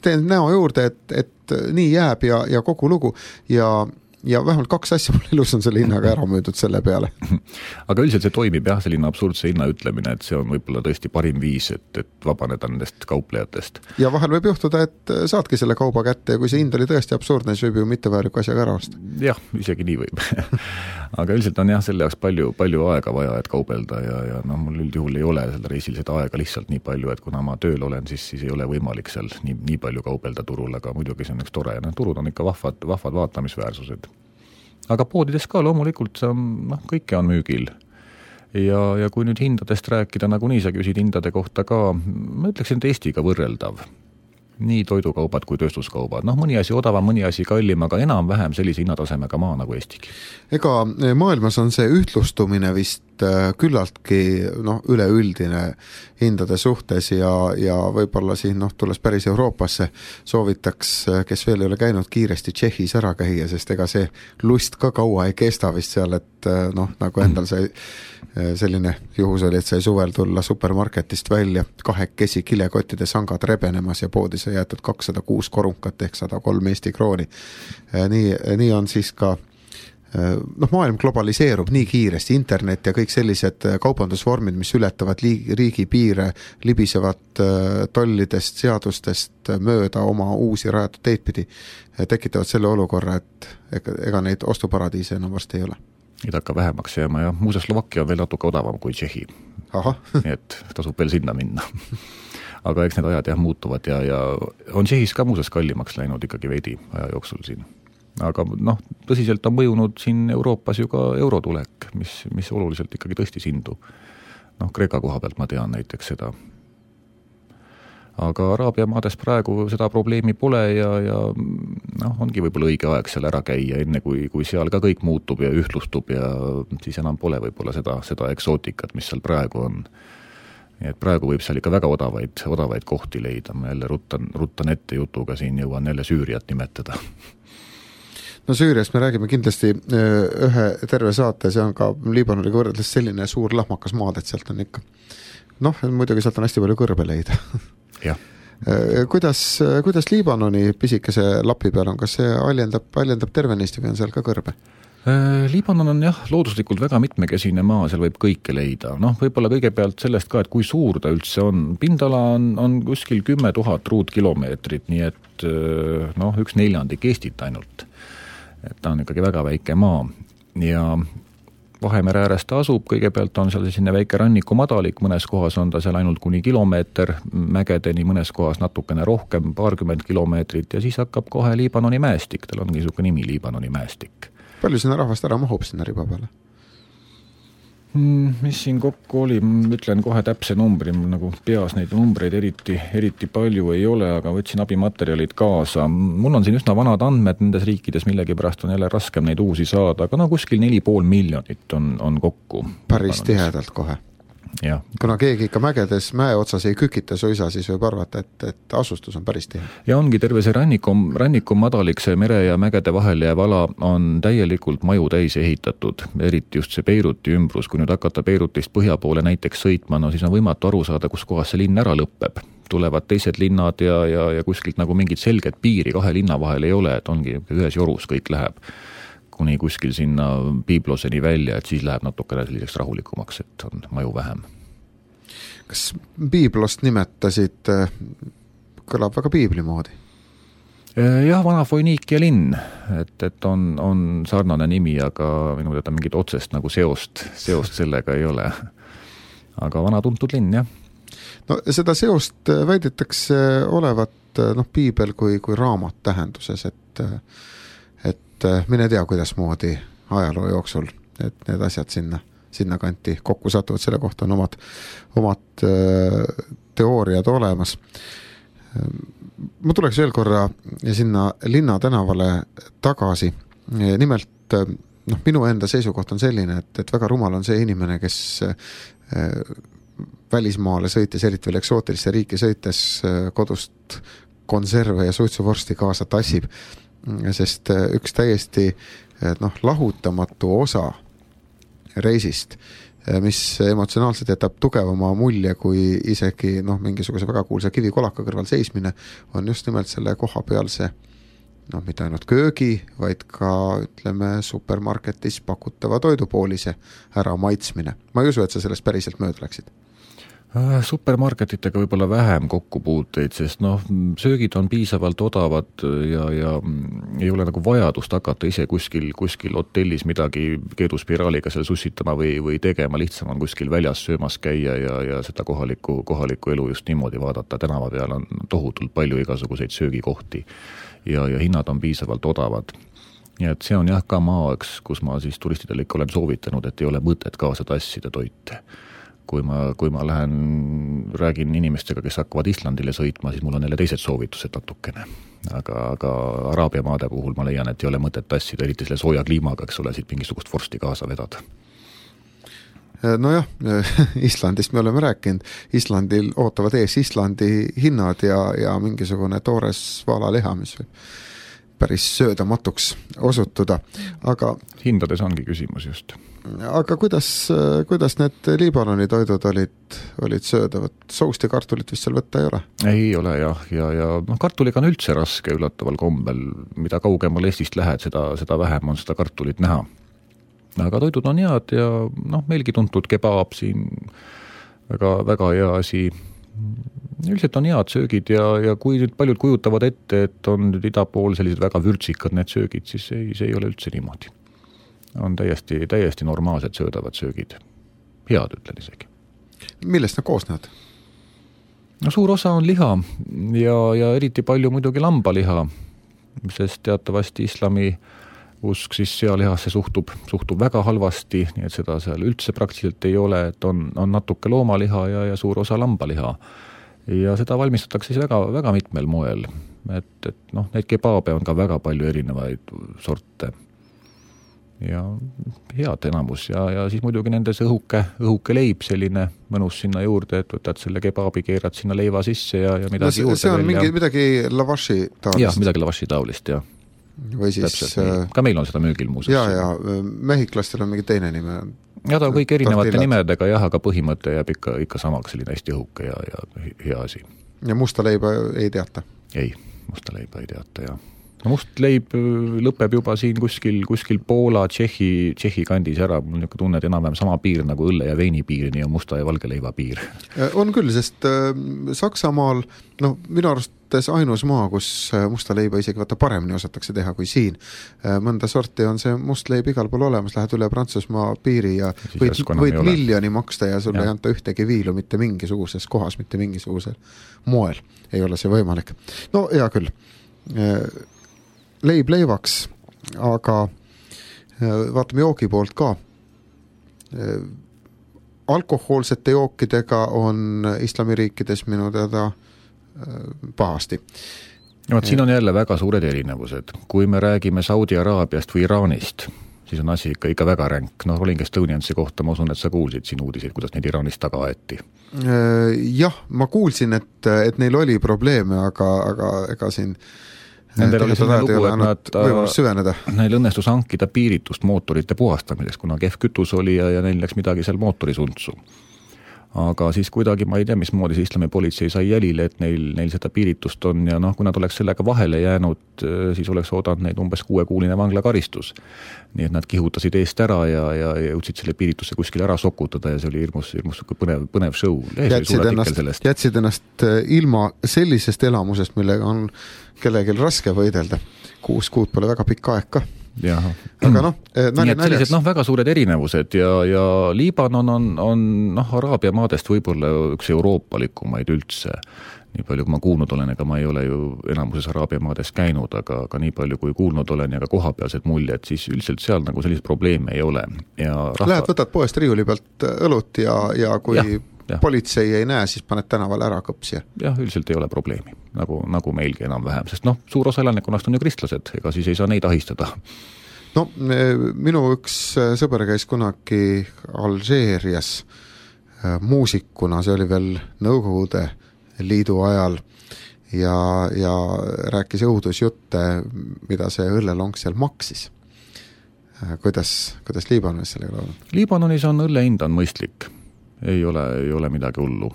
[SPEAKER 1] teen näo juurde, et, et nii jääb ja, ja kogu lugu ja, ja vähemalt kaks asja mul elus on selle hinnaga ära müüdud selle peale.
[SPEAKER 2] Aga üldiselt see toimib jah, selline absurdse hinna ütlemine, et see on võib-olla tõesti parim viis, et, et vabaneda nendest kauplejatest.
[SPEAKER 1] Ja vahel võib juhtuda, et saadki selle kauba kätte ja kui see hind oli tõesti absurdne, siis võib ju mittevääriku asjaga ära osta.
[SPEAKER 2] Jah, isegi nii võib. Aga üldiselt on jah, selle jaoks palju, palju aega vaja, et kaubelda ja, ja noh, mul üldjuhul ei ole selle reisil seda aega lihtsalt nii palju, et kuna ma tööl olen, siis, siis ei ole võimalik seal nii, nii palju kaubelda turul, aga muidugi see on üks tore ja need turud on ikka vahvad, vahvad vaatamisväärsused. Aga poodides ka loomulikult noh, kõike on müügil. Ja, ja kui nüüd hindadest rääkida, nagu nii sa küsid hindade kohta ka, ma ütleksin, et Eestiga võrreldav. Nii toidukaubad kui tööstuskaubad. Noh, mõni asi odavam, mõni asi kallim, aga enam-vähem sellise hinnatasemega maa nagu Eestigi.
[SPEAKER 1] Ega maailmas on see ühtlustumine vist küllaltki noh, üleüldine hindade suhtes ja, ja võib-olla siin noh, tulles päris Euroopasse soovitaks, kes veel ei ole käinud kiiresti Tšehhis ära käia, sest ega see lust ka kaua ei kesta vist seal, et noh, nagu endal sai selline juhus oli, et sai suvel tulla supermarketist välja kahekesi kilekottide sangad rebenemas ja poodis on jäetud kakssada kuus korunkat ehk sada kolm Eesti krooni. Nii, nii on siis ka noh, maailm globaliseerub nii kiiresti, internet ja kõik sellised kaubandusvormid, mis ületavad riigi piire, libisevad tollidest, seadustest mööda oma uusi rajatud teid pidi, tekitavad selle olukorra, et ega neid ostuparadiise enam varsti ei ole.
[SPEAKER 2] Neid hakka vähemaks jääma ja muuseas Slovakkia on veel natuke odavam kui Tšehhi. Nii et tasub veel sinna minna. Aga eks need ajad jah muutuvad ja, ja on Tšehhis ka muuseas kallimaks läinud ikkagi veidi aja jooksul siin. Aga noh, tõsiselt on mõjunud siin Euroopas ju ka eurotulek, mis, mis oluliselt ikkagi tõstis hindu. Noh, Kreeka koha pealt ma tean näiteks seda. Aga Araabia maades praegu seda probleemi pole ja, ja noh, ongi võib-olla õige aeg seal ära käia, enne kui, kui seal ka kõik muutub ja ühtlustub ja siis enam pole võib-olla seda, seda eksootikat, mis seal praegu on. Nii et praegu võib seal ikka väga odavaid, odavaid kohti leida. Ma jälle ruttan, ruttan ette jutuga siin, jõuan jälle Süüriat nimetada.
[SPEAKER 1] No Süüriast me räägime kindlasti ühe terve saate, see on ka Liibanoniga võrreldes selline suur lahmakas maad, et sealt on ikka noh, muidugi sealt on hästi palju kõrbe leida.
[SPEAKER 2] Jah.
[SPEAKER 1] Kuidas, kuidas Liibanoni pisikese lapi peal on, kas see aljendab, aljendab terve Eesti või on seal ka kõrbe?
[SPEAKER 2] Liibanon on jah, looduslikult väga mitmekesine maa, seal võib kõike leida. Noh, võib-olla kõigepealt sellest ka, et kui suur ta üldse on. Pindala on, on kuskil kümme tuhat ruutkilomeetrit, nii et noh, üks neljandik Eestit ainult. Et ta on ikkagi väga väike maa ja Vahemere äärest ta asub, kõigepealt on seal selline väike ranniku madalik, mõnes kohas on ta seal ainult kuni kilomeeter mägedeni, mõnes kohas natukene rohkem, paarkümmend kilomeetrit ja siis hakkab kohe Liibanoni mäestik, tal on niisugune nimi Liibanoni mäestik.
[SPEAKER 1] Palju sinna rahvast ära mahub sinna riba peale?
[SPEAKER 2] Mis siin kokku oli, ütlen kohe täpse numbri, nagu peas neid numbreid eriti, eriti palju ei ole, aga võtsin abimaterjalid kaasa. Mul on siin üsna vanad andmed nendes riikides, millegi pärast on jälle raskem neid uusi saada, aga no kuskil neli pool miljonit on, on kokku.
[SPEAKER 1] Päris tihedalt kohe.
[SPEAKER 2] Ja.
[SPEAKER 1] Kuna keegi ikka mägedes mäe otsas ei kükita suisa, siis võib arvata, et, et asustus on päris tihe.
[SPEAKER 2] Ja ongi terve see ranniku, ranniku madalik, see mere ja mägede vahel jääv ala on täielikult maju täis ehitatud, eriti just see Beiruti ümbrus. Kui nüüd hakata Beirutist põhja poole näiteks sõitma, no siis on võimatu aru saada, kus kohas see linn ära lõpeb. Tulevad teised linnad ja, ja, ja kuskilt nagu mingit selget piiri kahe linna vahel ei ole, et ongi ühes jorus kõik läheb kuni kuskil sinna Piibloseni välja, et siis läheb natukene selliseks rahulikumaks, et on maju vähem.
[SPEAKER 1] Kas Piiblost nimetasid, kõlab väga piibli moodi?
[SPEAKER 2] Jah, vana Foiniikia linn, et, et on, on sarnane nimi, aga minu teada mingit otsest nagu seost, seost sellega ei ole. Aga vana tuntud linn, jah.
[SPEAKER 1] No seda seost väidetakse olevat noh, piibel kui, kui raamat tähenduses, et, et mine tea, kuidas moodi ajaloo jooksul, et need asjad sinna, sinna kanti kokku satuvad, selle kohta on omad, omad teooriad olemas. Ma tuleks veel korra sinna linna tänavale tagasi. Nimelt, noh, minu enda seisukoht on selline, et, et väga rumal on see inimene, kes välismaale sõites, eriti veel eksootilisse riiki sõites kodust konserve ja suitsuvorsti kaasa tassib, sest üks täiesti noh, lahutamatu osa reisist, mis emotsionaalselt jätab tugevama mulje kui isegi noh, mingisuguse väga kuulsa kivikolaka kõrval seismine, on just nimelt selle koha peal see noh, mitte ainult köögi, vaid ka ütleme supermarketis pakutava toidupoolise ära maitsmine. Ma ei usu, et sa sellest päriselt mööda läksid.
[SPEAKER 2] Supermarketitega võib-olla vähem kokkupuuteid, sest noh, söögid on piisavalt odavad ja, ja ei ole nagu vajadust hakata ise kuskil, kuskil hotellis midagi keeduspiraaliga seal sussitama või, või tegema, lihtsam on kuskil väljas söömas käia ja, ja seda kohaliku, kohaliku elu just niimoodi vaadata. Tänava peal on tohutult palju igasuguseid söögikohti ja, ja hinnad on piisavalt odavad. Ja et see on jah ka maa, kus ma siis turistidele ikka olen soovitanud, et ei ole mõtet kaasa tassida toite. Kui ma, kui ma lähen, räägin inimestega, kes hakkavad Islandile sõitma, siis mul on neile teised soovitused natukene. Aga, aga Araabia maade puhul ma leian, et ei ole mõtet tassida, eriti selle sooja kliimaga, eks ole, siit mingisugust vorsti kaasa vedada.
[SPEAKER 1] No jah, Islandist me oleme rääkinud. Islandil ootavad ees Islandi hinnad ja, ja mingisugune toores valaleha, mis võib päris söödamatuks osutuda. Aga
[SPEAKER 2] hindades ongi küsimus just.
[SPEAKER 1] Aga kuidas, kuidas need Liibanoni toidud olid, olid söödavad? Soust ja kartulit vist seal võtta ei ole?
[SPEAKER 2] Ei ole jah, ja, ja no, kartuliga on üldse raske üllataval kombel. Mida kaugemal Eestist lähed, seda, seda vähem on seda kartulit näha. Aga toidud on head ja noh, meilgi tuntud kebaab siin väga, väga hea asi. Üldiselt on head söögid ja, ja kui nüüd paljud kujutavad ette, et on nüüd ida pool sellised väga vürtsikad need söögid, siis ei, see ei ole üldse niimoodi. On täiesti, täiesti normaalsed söödavad söögid. Head ütlen isegi.
[SPEAKER 1] Millest nad koosnevad?
[SPEAKER 2] No suur osa on liha ja, ja eriti palju muidugi lambaliha, sest teatavasti islami usk siis sealihasse suhtub, suhtub väga halvasti, nii et seda seal üldse praktiliselt ei ole, et on, on natuke loomaliha ja, ja suur osa lambaliha. Ja seda valmistatakse siis väga, väga mitmel moel. Et, et noh, neid kebaabe on ka väga palju erinevaid sorte. Ja head enamus ja, ja siis muidugi nendes õhuke, õhuke leib selline mõnus sinna juurde, et võtad selle kebaabi, keerad sinna leiva sisse ja, ja midagi no,
[SPEAKER 1] see,
[SPEAKER 2] juurde.
[SPEAKER 1] See on mingi, midagi lavashi taolist.
[SPEAKER 2] Jah, midagi lavashi taolist, jah.
[SPEAKER 1] Või siis... Täpselt,
[SPEAKER 2] ka meil on seda müügil muuseas.
[SPEAKER 1] Ja, ja mehhiklastel on mingi teine nime.
[SPEAKER 2] Ja ta on kõik erinevate tortillad. Nimedega, jah, aga põhimõte jääb ikka, ikka samaks selline hästi õhuke ja, ja hea asi. Ja
[SPEAKER 1] musta leiba ei teata?
[SPEAKER 2] Ei, musta leiba ei teata, jah. No must leib lõpeb juba siin kuskil, kuskil Poola, Tšehhi, Tšehhi kandis ära. Mul niisugune tunne, et enam-vähem sama piir nagu õlle ja veini piirini ja musta ja valge leiva piir.
[SPEAKER 1] On küll, sest Saksamaal, no minu arustes ainus maa, kus musta leiba isegi vaata paremini osatakse teha kui siin. Mõnda sorti on see must leib igal pool olemas, lähed üle Prantsusmaa piiri ja võid, võid miljoni maksta ja sulle ja. Ei anta ühtegi viilu mitte mingisuguses kohas, mitte mingisugusel moel. Ei ole see võimalik. No hea küll. Leib leivaks, aga vaatame joogi poolt ka. Alkohoolsete jookidega on islamiriikides minu teada pahasti.
[SPEAKER 2] No, siin on jälle väga suured erinevused. Kui me räägime Saudi Araabiast või Iraanist, siis on asi ikka, ikka väga ränk. No Rolling Estoniansi kohta ma usun, et sa kuulsid siin uudiseid, kuidas neid Iraanist taga aeti.
[SPEAKER 1] Jah, ma kuulsin, et, et neil oli probleeme, aga, aga ega siin
[SPEAKER 2] Nendel oli selline lugu, et nad, neil õnnestus hankida piiritust mootorite puhastamiseks, kuna kehv kütus oli ja, ja neil läks midagi seal mootori suntsu. aga siis kuidagi ma ei tea, mismoodi see islami politsei sai jälile, et neil, neil seda piiritust on ja noh, kui nad oleks sellega vahele jäänud, siis oleks oodanud neid umbes kuuekuuline vanglakaristus. Nii et nad kihutasid eest ära ja, ja jõudsid selle piiritusse kuskil ära sokutada ja see oli hirmus, hirmus põnev, põnev show.
[SPEAKER 1] Jätsid ennast, jätsid ennast ilma sellisest elamusest, millega on kellegil raske võidelda. Kuus kuud pole väga pikk aeg ka.
[SPEAKER 2] Jaha.
[SPEAKER 1] Aga noh,
[SPEAKER 2] nii et sellised noh, väga suured erinevused ja, ja Liibanon on, on noh, Araabia maadest võib-olla üks euroopalikumaid üldse. Nii palju, kui ma kuulnud olen, ega ma ei ole ju enamuses Araabia maades käinud, aga, aga nii palju, kui kuulnud olen ja ka kohapealsed muljed, siis üldiselt seal nagu sellised probleeme ei ole. Ja rahva...
[SPEAKER 1] Lähed, võtad poest riiuli pealt õlut ja, ja kui ja, ja. politsei ei näe, siis paned tänaval ära kõpsi.
[SPEAKER 2] Jah, üldiselt ei ole probleemi, nagu, nagu meilgi enam vähem, sest noh, suur osa elanikkonnast on ju kristlased, ega siis ei saa neid ahistada.
[SPEAKER 1] No, minu üks sõber käis kunagi Alžeerias muusikuna, see oli veel Nõukogude Liidu ajal ja, ja rääkis õudusjutte, mida see õllelong seal maksis. Kuidas, kuidas Liibanonis sellega on?
[SPEAKER 2] Liibanonis on õlle hind on mõistlik, ei ole, ei ole midagi hullu.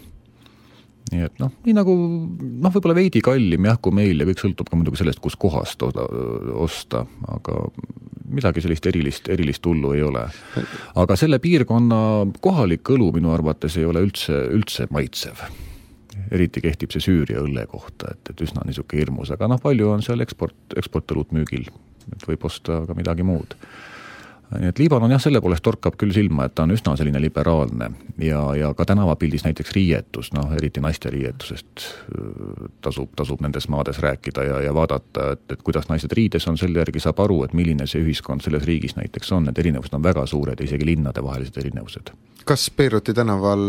[SPEAKER 2] Nii et noh, nii nagu noh, võib-olla veidi kallim jah, kui meil ja kõik sõltub ka muidugi sellest, kus kohast osta, aga midagi sellist erilist, erilist hullu ei ole. Aga selle piirkonna kohalik õlu minu arvates ei ole üldse, üldse maitsev. Eriti kehtib see Süüria õlle kohta, et, et üsna niisuke hirmus, aga noh, palju on seal eksport, eksportõlut müügil, et võib osta ka midagi muud. Nii et Liibanon jah, selle poolest torkab küll silma, et ta on üsna selline liberaalne ja, ja ka tänavapildis näiteks riietus, noh, eriti naiste riietusest tasub, tasub nendes maades rääkida ja, ja vaadata, et, et kuidas naised riides on, selle järgi saab aru, et milline see ühiskond selles riigis näiteks on, et erinevused on väga suured, isegi linnade vahelised erinevused. Kas
[SPEAKER 1] Beiruti tänaval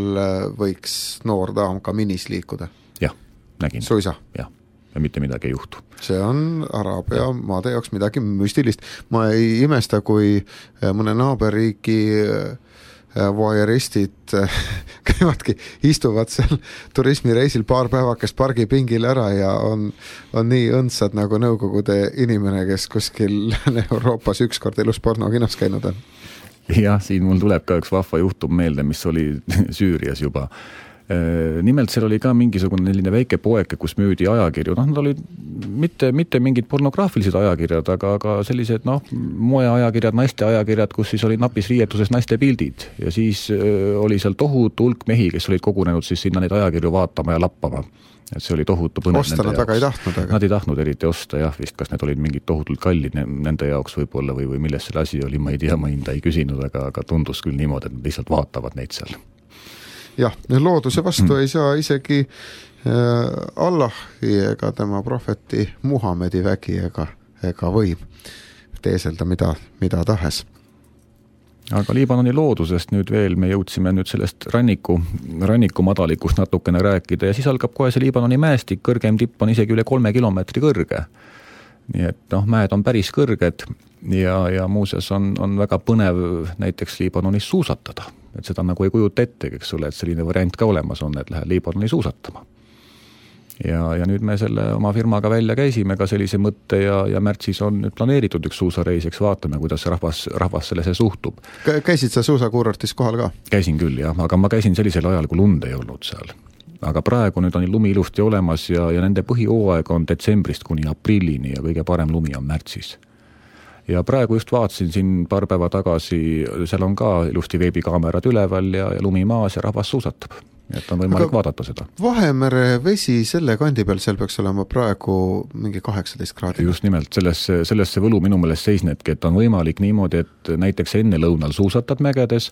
[SPEAKER 1] võiks noor daam ka minis liikuda?
[SPEAKER 2] Jah, nägin.
[SPEAKER 1] Suisa?
[SPEAKER 2] Jah. Ja mitte midagi ei juhtu.
[SPEAKER 1] See on Araabia maade jaoks midagi müstilist. Ma ei imesta, kui mõne naaberriigi voyeuristid käivadki, istuvad seal turismireisil paar päevakest pargipingil ära ja on, on nii õndsad nagu Nõukogude inimene, kes kuskil Euroopas ükskord elus pornokinos käinud on.
[SPEAKER 2] Jah, siin mul tuleb ka üks vahva juhtum meelde, mis oli Süürias juba. Nimelt seal oli ka mingisugune selline väike poeke, kus müüdi ajakirju, noh, nad olid mitte, mitte mingid pornograafilised ajakirjad, aga, aga sellised, noh, moeajakirjad, naiste ajakirjad, kus siis oli napis riietuses naiste pildid ja siis oli seal tohutu hulk mehi, kes olid kogunenud siis sinna neid ajakirju vaatama ja lappama. Et see oli tohutu põnev
[SPEAKER 1] osta nad väga ei tahtnud, aga...
[SPEAKER 2] Nad ei tahtnud eriti osta, jah, vist kas need olid mingid tohutult kallid nende jaoks võib-olla või, või milles selle asi oli, ma ei tea, ma hinda ei küsinud, aga, aga tundus küll niimoodi, et nad lihtsalt vaatavad neid seal.
[SPEAKER 1] Jah, looduse vastu mm. ei saa isegi äh, Allahi ega tema prohveti Muhamedi vägi ega, ega võim teeselda mida, mida tahes.
[SPEAKER 2] Aga Liibanoni loodusest nüüd veel me jõudsime nüüd sellest ranniku, ranniku madalikust natukene rääkida ja siis algab kohe see Liibanoni mäestik, kõrgem tipp on isegi üle kolme kilomeetri kõrge. Nii et noh, mäed on päris kõrged ja, ja muuseas on, on väga põnev näiteks Liibanonis suusatada. Et seda nagu ei kujuta ette, eks ole, et selline variant ka olemas on, et lähed Liibanoni suusatama. Ja, ja nüüd me selle oma firmaga välja käisime ka sellise mõtte ja, ja märtsis on nüüd planeeritud üks suusareis, eks vaatame, kuidas rahvas, rahvas sellesse suhtub.
[SPEAKER 1] Käisid sa suusakuurortis kohal ka?
[SPEAKER 2] Käisin küll, jah, aga ma käisin sellisel ajal, kui lund ei olnud seal. Aga praegu nüüd on lumi ilusti olemas ja, ja nende põhihooaeg on detsembrist kuni aprillini ja kõige parem lumi on märtsis. Ja praegu just vaatasin siin paar päeva tagasi, seal on ka ilusti veebikaamerad üleval ja, ja lumi maas ja rahvas suusatab. Et on võimalik aga vaadata seda.
[SPEAKER 1] Vahemere vesi selle kandi peal, seal peaks olema praegu mingi kaheksateist kraadi.
[SPEAKER 2] Just nimelt, sellesse, sellesse võlu minu meelest seisnetki, et on võimalik niimoodi, et näiteks enne lõunal suusatad mägedes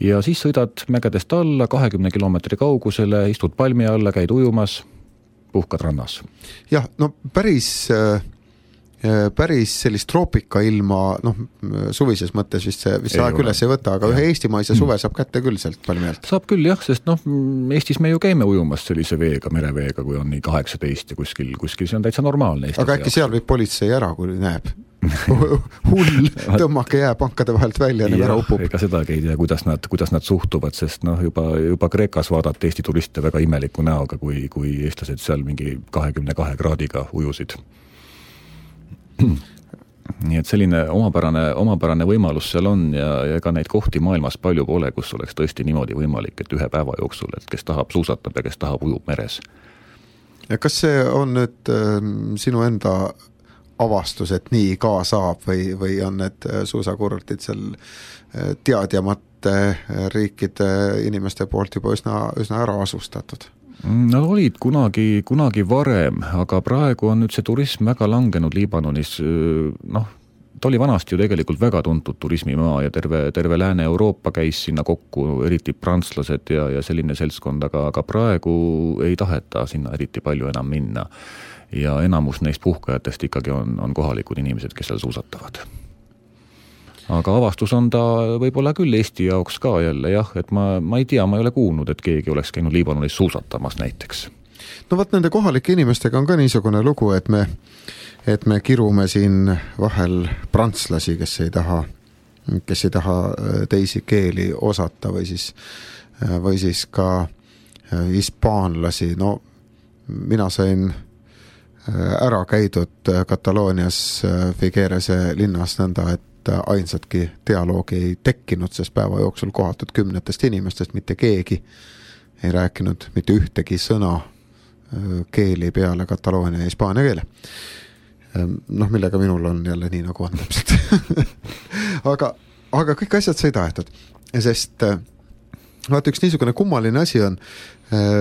[SPEAKER 2] ja siis sõidad mägedest alla kahekümne kilomeetri kaugusele, istud palmi alla, käid ujumas, puhkad rannas.
[SPEAKER 1] Jah, no päris... päris sellist troopika ilma, noh, suvises mõttes vist see, vist see aeg üles ei võta, aga ja. Ühe eestimaise suve saab kätte küll sealt palmialt.
[SPEAKER 2] Saab küll jah, sest noh, Eestis me ju käime ujumas sellise veega, mereveega, kui on nii kaheksateist ja kuskil, kuskil see on täitsa normaalne. Eestis
[SPEAKER 1] aga äkki seal võib politsei ära, kui näeb? Hull, tõmmake jää pankade vahelt välja, nii ära upub.
[SPEAKER 2] Ega sedagi ei tea, kuidas nad, kuidas nad suhtuvad, sest noh, juba, juba Kreekas vaadati Eesti turiste väga imeliku näoga, kui, kui eestlased seal mingi kahekümne kahe kraadiga ujusid. nii et selline omapärane, omapärane võimalus seal on ja, ja ega neid kohti maailmas palju pole, kus oleks tõesti niimoodi võimalik, et ühe päeva jooksul, et kes tahab suusatab ja kes tahab ujub meres.
[SPEAKER 1] Ja kas see on nüüd äh, sinu enda avastus, et nii ka saab või, või on need suusakurortid seal äh, teadjamate riikide inimeste poolt juba üsna, üsna ära asustatud?
[SPEAKER 2] Nad olid kunagi, kunagi varem, aga praegu on nüüd see turism väga langenud Liibanonis, noh, ta oli vanasti ju tegelikult väga tuntud turismimaa ja terve, terve Lääne-Euroopa käis sinna kokku, eriti prantslased ja, ja selline seltskond, aga, aga praegu ei taheta sinna eriti palju enam minna. Ja enamus neist puhkajatest ikkagi on, on kohalikud inimesed, kes seal suusatavad. Aga avastus on ta võib-olla küll Eesti jaoks ka jälle, jah, et ma, ma ei tea, ma ei ole kuulnud, et keegi oleks käinud Liibanonis suusatamas näiteks.
[SPEAKER 1] No võt nende kohalike inimestega on ka niisugune lugu, et me, et me kirume siin vahel prantslasi, kes ei taha, kes ei taha teisi keeli osata või siis, või siis ka hispaanlasi. No mina sain ära käidud Kataloonias Figuerese linnas nõnda, et ainsatki dialoogi ei tekkinud, sest päeva jooksul kohatud kümnetest inimestest mitte keegi ei rääkinud mitte ühtegi sõna keeli peale kataloonia ja hispaania keele. Noh, millega minul on jälle nii nagu on täpselt. aga, aga kõik asjad sai tahetud, sest vaata, üks niisugune kummaline asi on,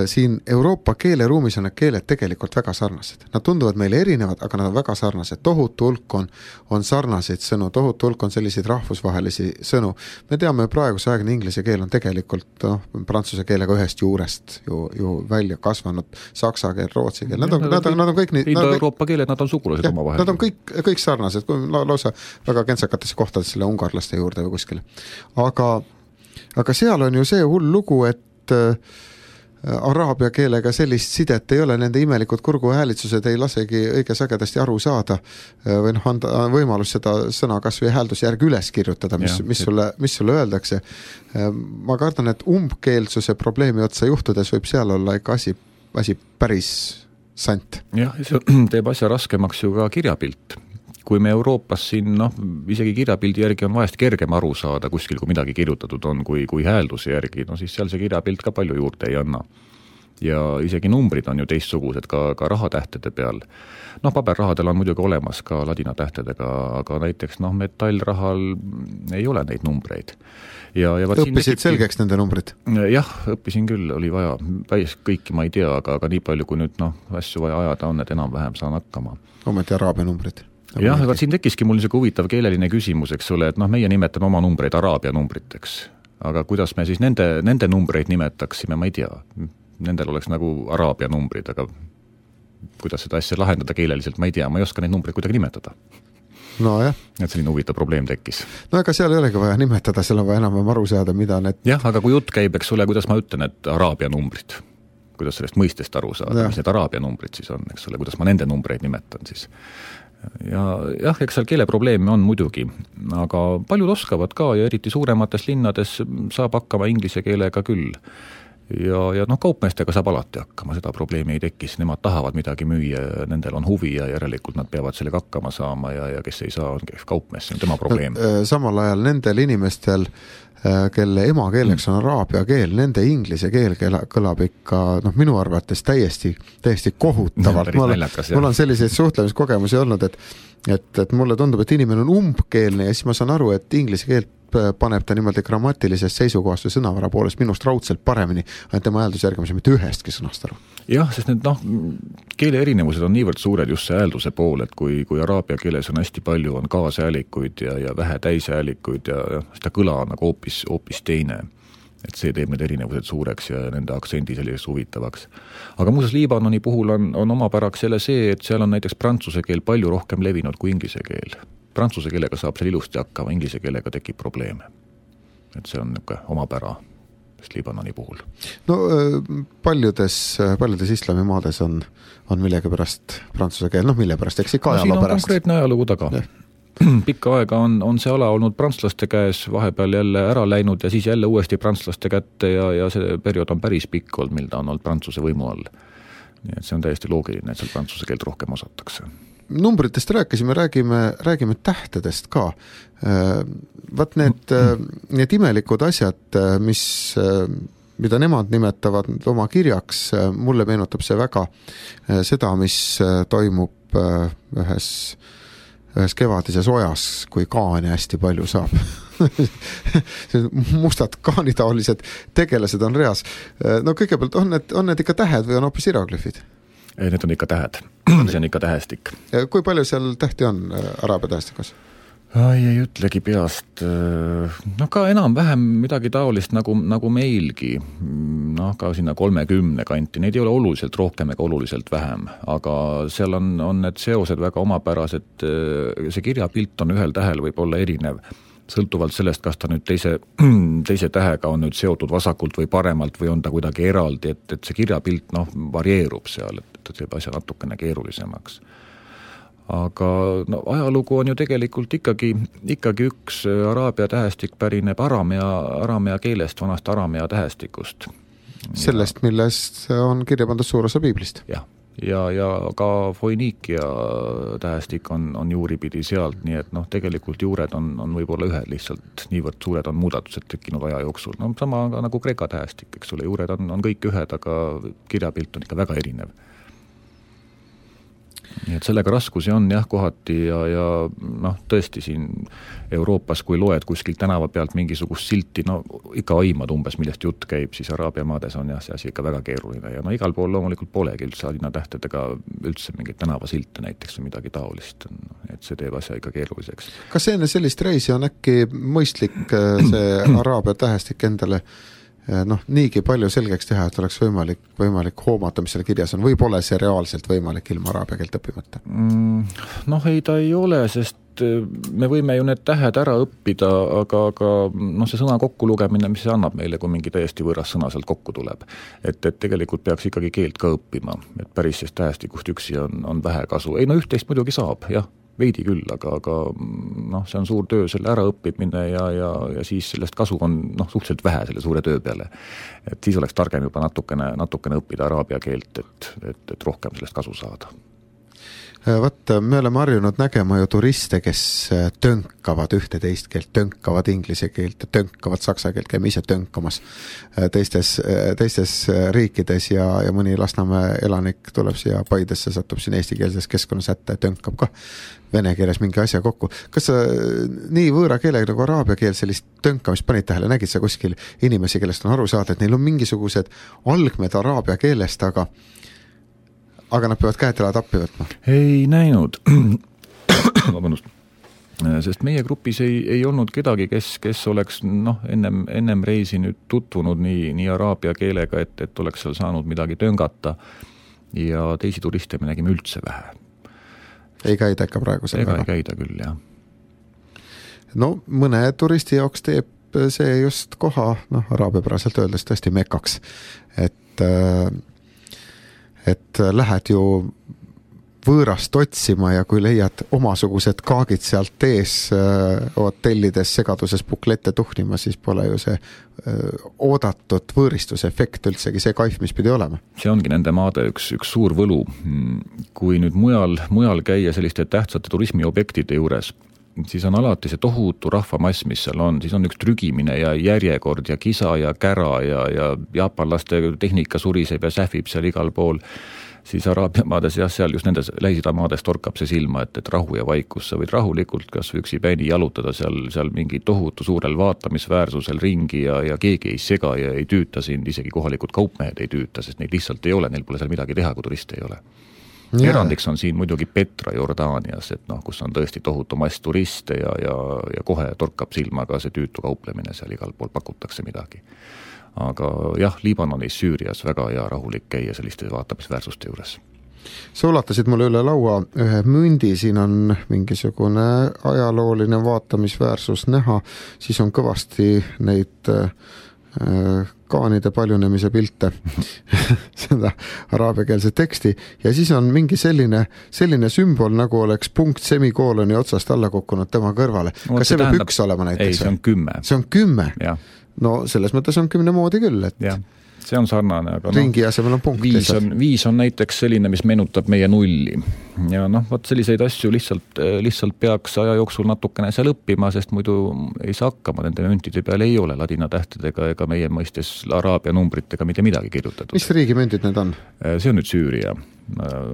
[SPEAKER 1] siin Euroopa keeleruumis on need keeled tegelikult väga sarnased. Nad tunduvad meile erinevad, aga nad on väga sarnased. Tohutu hulk on, on sarnaseid sõnu, tohutu hulk on selliseid rahvusvahelisi sõnu. Me teame, praeguse aegne inglise keel on tegelikult no, prantsuse keelega ühest juurest ju, ju välja kasvanud, saksa keel, rootsi keel. Nad on, nad on, nad on kõik nii...
[SPEAKER 2] Indo-Euroopa keeled, nad on sugulased oma vahel.
[SPEAKER 1] Nad on kõik, kõik sarnased, kui lausa väga kentsakatesse kohtades selle ungarlaste juurde või kuskile. Aga, aga seal on ju see hull lugu, et araabia keelega sellist sidet ei ole, nende imelikud kurguhäälitsused ei lasegi õige sagedasti aru saada või noh, anda võimalus seda sõna kas või hääldusjärgi üles kirjutada, mis, mis, sulle, mis sulle öeldakse. Ma kardan, et umbkeelsuse probleemi otsa juhtudes võib seal olla ikka asi, asi päris sant.
[SPEAKER 2] Jah, see teeb asja raskemaks ju ka kirjapilt. Kui me Euroopas siin, noh, isegi kirjapildi järgi on vahest kergem aru saada kuskil, kui midagi kirjutatud on, kui, kui häälduse järgi, no siis seal see kirjapilt ka palju juurde ei anna. Ja isegi numbrid on ju teistsugused ka, ka rahatähtede peal. Noh, paberrahadel on muidugi olemas ka ladina tähtedega, aga näiteks noh, metallrahal ei ole neid numbreid. Ja, ja
[SPEAKER 1] õppisid tekibki... selgeks nende numbrid?
[SPEAKER 2] Jah, õppisin küll, oli vaja. Päis kõiki ma ei tea, aga, aga nii palju, kui nüüd noh, asju vaja ajada on, et enam-vähem saan hakkama.
[SPEAKER 1] Ometi araabia numbrid?
[SPEAKER 2] Jah, aga siin tekkiski mul niisugune huvitav keeleline küsimus, eks ole, et noh, meie nimetame oma numbreid araabia numbriteks, aga kuidas me siis nende, nende numbreid nimetaksime, ma ei tea. Nendel oleks nagu araabia numbrid, aga kuidas seda asja lahendada keeleliselt, ma ei tea, ma ei oska neid numbreid kuidagi nimetada.
[SPEAKER 1] No jah.
[SPEAKER 2] Et selline huvitav probleem tekkis.
[SPEAKER 1] No ega seal ei olegi vaja nimetada, seal on vaja enam aru saada, mida need...
[SPEAKER 2] Jah, aga kui jutt käib, eks ole, kuidas ma ütlen, et araabia numbrid, kuidas sellest mõistest aru saada, ja. Mis need araabia numbrid siis on, eks ole, kuidas ma nende numbreid nimetan siis. Ja jah, eks seal keeleprobleemi on muidugi, aga paljud oskavad ka ja eriti suuremates linnades saab hakkama inglise keelega küll. Ja, ja noh, kaupmeestega saab alati hakkama, seda probleemi ei tekis, nemad tahavad midagi müüa, nendel on huvi ja järelikult nad peavad sellega hakkama saama ja, ja kes ei saa, on kaupmees, see on tema probleem.
[SPEAKER 1] Samal ajal nendel inimestel, kelle emakeeleks on araabia keel, nende inglise keel kõlab ikka, noh, minu arvates täiesti, täiesti kohutavalt. Mul, mul on selliseid suhtlemiskogemusi olnud, et, et, et mulle tundub, et inimene on umbkeelne ja siis ma saan aru, et inglise keelt paneb ta niimoodi grammatilises seisukohast või sõnavara poolest minust raudselt paremini, ainult tema häälduse järgi, mitte ühestki sõnast aru.
[SPEAKER 2] Jah, sest need noh, keele erinevused on niivõrd suured just see häälduse pool, et kui, kui araabia keeles on hästi palju, on kaashäälikuid ja, ja vähe täishäälikuid ja, ja seda kõla on nagu hoopis, hoopis teine. Et see teeb need erinevused suureks ja nende aktsendi selliseks huvitavaks. Aga muuseas Liibanoni puhul on, on omapäraks selle see, et seal on näiteks prantsuse keel palju rohkem levinud kui inglise keel. Prantsuse keelega saab seal ilusti hakkama, inglise keelega tekib probleeme. Et see on niisugune omapära Liibanoni puhul.
[SPEAKER 1] No paljudes, paljudes islamimaades on, on millegi pärast prantsuse keel, noh mille pärast, eks ikka no, ajaloo pärast.
[SPEAKER 2] Siin on konkreetne ajalugu taga. Pikka aega on, on see ala olnud prantslaste käes, vahepeal jälle ära läinud ja siis jälle uuesti prantslaste kätte ja, ja see periood on päris pikk olnud, mil ta on olnud prantsuse võimu all. Nii et see on täiesti loogiline, et seal prantsuse keelt rohkem osatakse.
[SPEAKER 1] numbritest rääkisime, räägime, räägime tähtedest ka. Vaat need, need imelikud asjad, mis, mida nemad nimetavad oma kirjaks, mulle meenutab see väga seda, mis toimub ühes, ühes kevadises ojas, kui kaani hästi palju saab. Mustad kaanitaolised tegelased on reas. No kõigepealt, on need, on need ikka tähed või on hoopis hieroglüfid?
[SPEAKER 2] Ei, need on ikka tähed. See on ikka tähestik.
[SPEAKER 1] Kui palju seal tähti on araabia tähestikus?
[SPEAKER 2] Ai, ei ütlegi peast. No ka enam-vähem midagi taolist nagu, nagu meilgi. No ka sinna kolmekümne kanti. Neid ei ole oluliselt rohkem ega oluliselt vähem. Aga seal on, on need seosed väga omapärased. See kirjapilt on ühel tähel võib olla erinev. Sõltuvalt sellest, kas ta nüüd teise, teise tähega on nüüd seotud vasakult või paremalt või on ta kuidagi eraldi, et, et see kirjapilt noh, varieerub seal, et, et see asja natukene keerulisemaks. Aga no, ajalugu on ju tegelikult ikkagi, ikkagi üks araabia tähestik pärineb aramea, aramea keelest, vanast aramea tähestikust.
[SPEAKER 1] Sellest, millest on kirja pandud suur osa piiblist.
[SPEAKER 2] Jah. Ja, ja ka Foiniikia tähestik on, on juuripidi sealt, nii et noh, tegelikult juured on, on võib-olla ühed lihtsalt niivõrd suured on muudatused tekkinud aja jooksul. No sama nagu Kreeka tähestik, eks ole, juured on, on kõik ühed, aga kirjapilt on ikka väga erinev. Nii et sellega raskusi on jah kohati ja, ja noh, tõesti siin Euroopas, kui loed kuskil tänava pealt mingisugust silti, no ikka aimad umbes, millest jutt käib, siis Araabia maades on jah see asi ikka väga keeruline ja no igal pool loomulikult polegi üldse linna tähtedega üldse mingit tänavasilte näiteks või midagi taolist, et see teeb asja ikka keeruliseks.
[SPEAKER 1] Kas enne sellist reisi on äkki mõistlik see Araabia tähestik endale noh, niigi palju selgeks teha, et oleks võimalik, võimalik hoomata, mis selle kirjas on, või pole see reaalselt võimalik ilma araabia keelt õppimata?
[SPEAKER 2] Mm, noh, ei ta ei ole, sest me võime ju need tähed ära õppida, aga, aga noh, see sõna kokkulugemine, mis see annab meile, kui mingi täiesti võõras sõna sealt kokku tuleb. Et, et tegelikult peaks ikkagi keelt ka õppima, et päris sest tähestikust üksi on, on vähe kasu. Ei no üht-teist muidugi saab, jah. Veidi küll, aga, aga noh, see on suur töö selle ära õppimine ja, ja, ja siis sellest kasu on noh, suhteliselt vähe selle suure töö peale. Et siis oleks targem juba natukene, natukene õppida araabia keelt, et, et, et rohkem sellest kasu saada.
[SPEAKER 1] Vaat, me oleme harjunud nägema ju turiste, kes tönkavad ühte teist keelt, tönkavad inglise keelt, tönkavad saksa keelt, käime ise tönkamas teistes, teistes riikides ja, ja mõni Lasnamäe elanik tuleb siia Paidesse, satub siin eestikeelses keskkonnas ätte ja tönkab ka vene keeles mingi asja kokku. Kas sa nii võõra keelega nagu araabia keel sellist tönkamist panid tähele, nägid sa kuskil inimesi, kellest on aru saada, et neil on mingisugused algmed araabia keelest, aga aga nad peavad käed elad appi võtma?
[SPEAKER 2] Ei näinud. Vabandust. Sest meie grupis ei, ei olnud kedagi, kes, kes oleks noh, ennem, ennem reisi nüüd tutvunud nii, nii araabia keelega, et, et oleks seal saanud midagi töngata ja teisi turiste me nägime üldse vähe.
[SPEAKER 1] Ei käida ikka praegu selle
[SPEAKER 2] väga? Ega ei käida küll, jah.
[SPEAKER 1] No mõne turisti jaoks teeb see just koha, noh, araabiapäraselt öeldes tõesti mekaks, et et lähed ju võõrast otsima ja kui leiad omasugused kaagid sealt ees hotellides segaduses puklette tuhnima, siis pole ju see oodatud võõristuse efekt üldsegi see kaif, mis pidi olema.
[SPEAKER 2] See ongi nende maade üks, üks suur võlu. Kui nüüd mujal, mujal käia selliste tähtsate turismiobjektide juures, siis on alati see tohutu rahvamass, mis seal on, siis on üks trügimine ja järjekord ja kisa ja kära ja, ja jaapanlaste tehnika suriseb ja sähvib seal igal pool, siis araabia maades ja seal just nendes Lähis-Ida maades torkab see silma, et, et rahu ja vaikus, sa võid rahulikult kas üksi päini jalutada seal, seal mingi tohutu suurel vaatamisväärsusel ringi ja, ja keegi ei sega ja ei tüüta sind, isegi kohalikud kaupmehed ei tüüta, sest neid lihtsalt ei ole, neil pole seal midagi teha, kui turiste ei ole. Ja. Erandiks on siin muidugi Petra Jordaanias, et noh, kus on tõesti tohutu mass turiste ja, ja, ja kohe torkab silma ka see tüütu kauplemine, seal igal pool pakutakse midagi. Aga jah, Liibanonis, Süürias väga hea rahulik käia selliste vaatamisväärsuste juures.
[SPEAKER 1] Sa ulatasid mulle üle laua ühe mündi, siin on mingisugune ajalooline vaatamisväärsus näha, siis on kõvasti neid kaanide paljunemise pilte, seda araabiakeelse teksti, ja siis on mingi selline, selline sümbol, nagu oleks punkt semikooloni otsast alla kukkunud tema kõrvale.
[SPEAKER 2] No,
[SPEAKER 1] kas see võib
[SPEAKER 2] tähendab,
[SPEAKER 1] üks olema näiteks?
[SPEAKER 2] Ei, see on kümme.
[SPEAKER 1] See on kümme?
[SPEAKER 2] Ja.
[SPEAKER 1] No selles mõttes on kümne moodi küll, et
[SPEAKER 2] ja. see on sarnane, aga
[SPEAKER 1] ringi no, asemel on punkt.
[SPEAKER 2] Viis on, viis on näiteks selline, mis meenutab meie nulli. Ja noh, võt selliseid asju lihtsalt, lihtsalt peaks aja jooksul natukene seal õppima, sest muidu ei saa hakkama, nende müntide peal ei ole ladina tähtedega ega meie mõistes araabia numbritega mitte midagi kirjutatud.
[SPEAKER 1] Mis riigi müntid need on?
[SPEAKER 2] See on nüüd Süüria.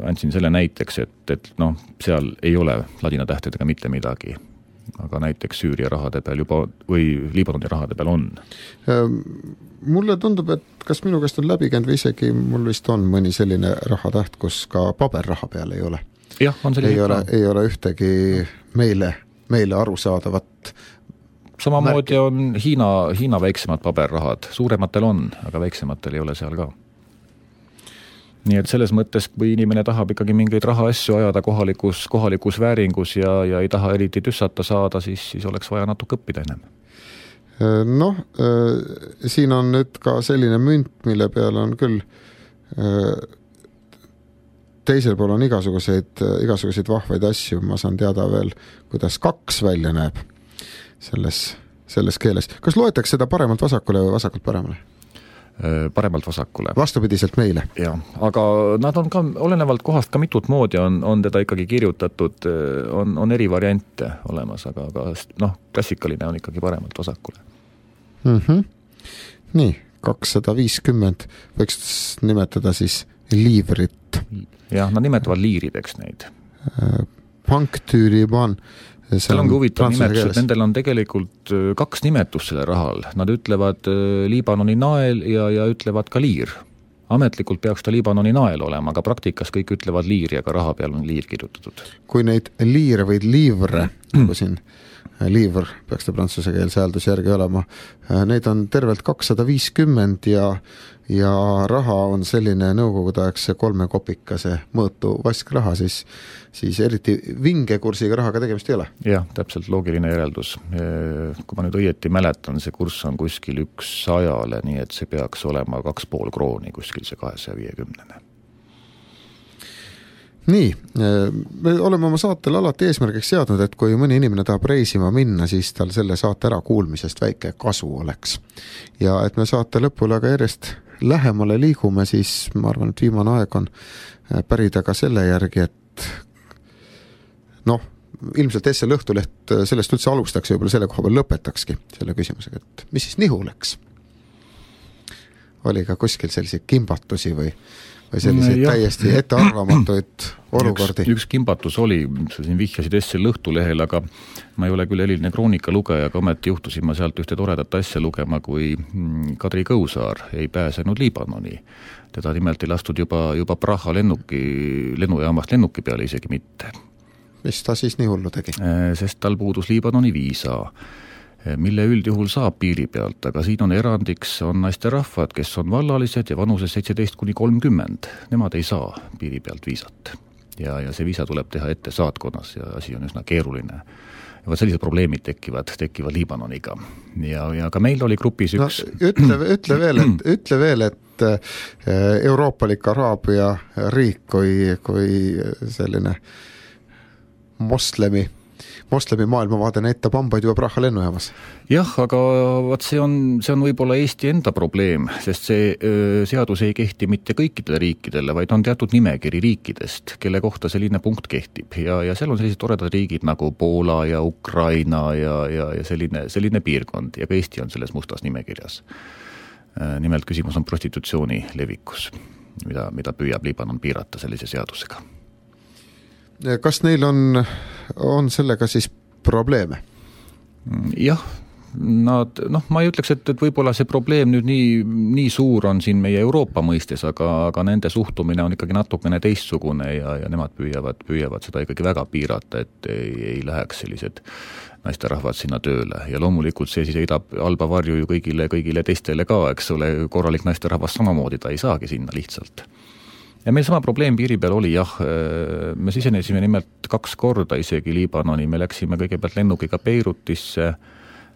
[SPEAKER 2] Andsin selle näiteks, et, et noh, seal ei ole ladina tähtedega mitte midagi. Aga näiteks Süüria rahade peal juba või Liibanoni rahade peal on.
[SPEAKER 1] Mulle tundub, et kas minu käest on läbi käinud või isegi mul vist on mõni selline rahatäht, kus ka paberraha peal ei ole.
[SPEAKER 2] Jah, on selline.
[SPEAKER 1] Ei ole, ei ole ühtegi meile, meile arusaadavat.
[SPEAKER 2] Samamoodi märki. On Hiina, Hiina väiksemad paberrahad. Suurematel on, aga väiksematel ei ole seal ka. Nii et selles mõttes, kui inimene tahab ikkagi mingeid rahaasju ajada kohalikus, kohalikus vääringus ja, ja ei taha eriti tüssata saada, siis, siis oleks vaja natuke õppida ennem.
[SPEAKER 1] Noh, siin on nüüd ka selline münt, mille peal on küll teisel pool on igasuguseid, igasuguseid vahvaid asju. Ma saan teada veel, kuidas kaks välja näeb selles, selles keeles. Kas loetakse seda paremalt vasakule või vasakult paremale?
[SPEAKER 2] Paremalt vasakule.
[SPEAKER 1] Vastupidiselt meile.
[SPEAKER 2] Ja, aga nad on ka, olenevalt kohast ka mitut moodi on, on teda ikkagi kirjutatud, on, on eri variante olemas, aga, aga noh, klassikaline on ikkagi paremalt vasakule.
[SPEAKER 1] Mm-hmm. Nii, kakssada viiskümmend võiks nimetada siis liivrit.
[SPEAKER 2] Jah, nad nimetavad liirideks neid.
[SPEAKER 1] Panktüüriban.
[SPEAKER 2] Seal ongi huvitav nimetus, et nendel on tegelikult kaks nimetust selle rahal. Nad ütlevad Liibanoni nael ja, ja ütlevad ka liir. Ametlikult peaks ta Liibanoni nael olema, aga praktikas kõik ütlevad liir ja ka raha peal on liir kirjutatud.
[SPEAKER 1] Kui neid liire või liivre, nagu siin liivr peaks ta prantsuse keelse hääldus järgi olema, neid on tervelt kakssada viiskümmend ja, ja raha on selline nõukogudeaegse kolme kopikase mõõtu vaskraha, siis, siis eriti vingekursiga rahaga tegemist ei ole.
[SPEAKER 2] Jah, täpselt loogiline järeldus. Kui ma nüüd õieti mäletan, see kurss on kuskil üks sajale, nii et see peaks olema kaks pool krooni kuskil see kahesaja viiekümnene.
[SPEAKER 1] Nii, me oleme oma saatel alati eesmärgiks seadnud, et kui mõni inimene tahab reisima minna, siis tal selle saate ära kuulmisest väike kasu oleks. Ja et me saate lõpule aga järjest lähemale liigume, siis ma arvan, et viimane aeg on pärida ka selle järgi, et noh, ilmselt S L Õhtuleht sellest üldse alustaks ja võib-olla selle koha peal lõpetakski selle küsimusega, et mis siis nihu läks? Oli ka kuskil selliseid kimbatusi või või selliseid ja. Täiesti ettearvamatuid olukordi.
[SPEAKER 2] Üks, üks kimbatus oli, sa siin vihjasid S L Õhtulehel, aga ma ei ole küll eriline kroonika lugeja, aga ometi juhtusin ma sealt ühte toredat asja lugema, kui Kadri Kõusaar ei pääsenud Liibanoni. Teda nimelt ei lastud juba, juba Praha lennuki, lennujaamast lennuki peale isegi mitte.
[SPEAKER 1] Mis ta siis nii hullu tegi?
[SPEAKER 2] Sest tal puudus Liibanoni viisa, mille üldjuhul saab piiri pealt, aga siin on erandiks, on naiste rahvad, kes on vallalised ja vanuses seitseteist kuni kolmkümmend. Nemad ei saa piiri pealt viisat. Ja, ja see viisa tuleb teha ette saatkonnas ja asi on üsna keeruline. Ja sellised probleemid tekivad, tekivad Liibanoniga. Ja, ja ka meil oli grupis üks...
[SPEAKER 1] No, ütle, ütle, veel, et, ütle veel, et euroopalik araabia riik kui, kui selline moslemi moslemi maailmavaade näitab hambaid juba Praha lennujaamas.
[SPEAKER 2] Jah, aga vaat see on, see on võib-olla Eesti enda probleem, sest see öö, seadus ei kehti mitte kõikidele riikidele, vaid on teatud nimekiri riikidest, kelle kohta selline punkt kehtib. Ja, ja seal on sellised toredad riigid nagu Poola ja Ukraina ja, ja, ja selline, selline piirkond ja ka Eesti on selles mustas nimekirjas. Nimelt küsimus on prostitutsiooni levikus, mida, mida püüab Liibanon piirata sellise seadusega.
[SPEAKER 1] Kas neil on, on sellega siis probleeme?
[SPEAKER 2] Jah, nad, noh, ma ei ütleks, et, et võib-olla see probleem nüüd nii, nii suur on siin meie Euroopa mõistes, aga, aga nende suhtumine on ikkagi natukene teistsugune ja, ja nemad püüavad, püüavad seda ikkagi väga piirata, et ei, ei läheks sellised naisterahvad sinna tööle. Ja loomulikult see siis heidab halba varju ju kõigile, kõigile teistele ka, eks ole, korralik naisterahvas samamoodi, ta ei saagi sinna lihtsalt. Ja meil sama probleem piiri peal oli, jah, me sisenesime nimelt kaks korda isegi Liibanoni, me läksime kõigepealt lennukiga Beirutisse,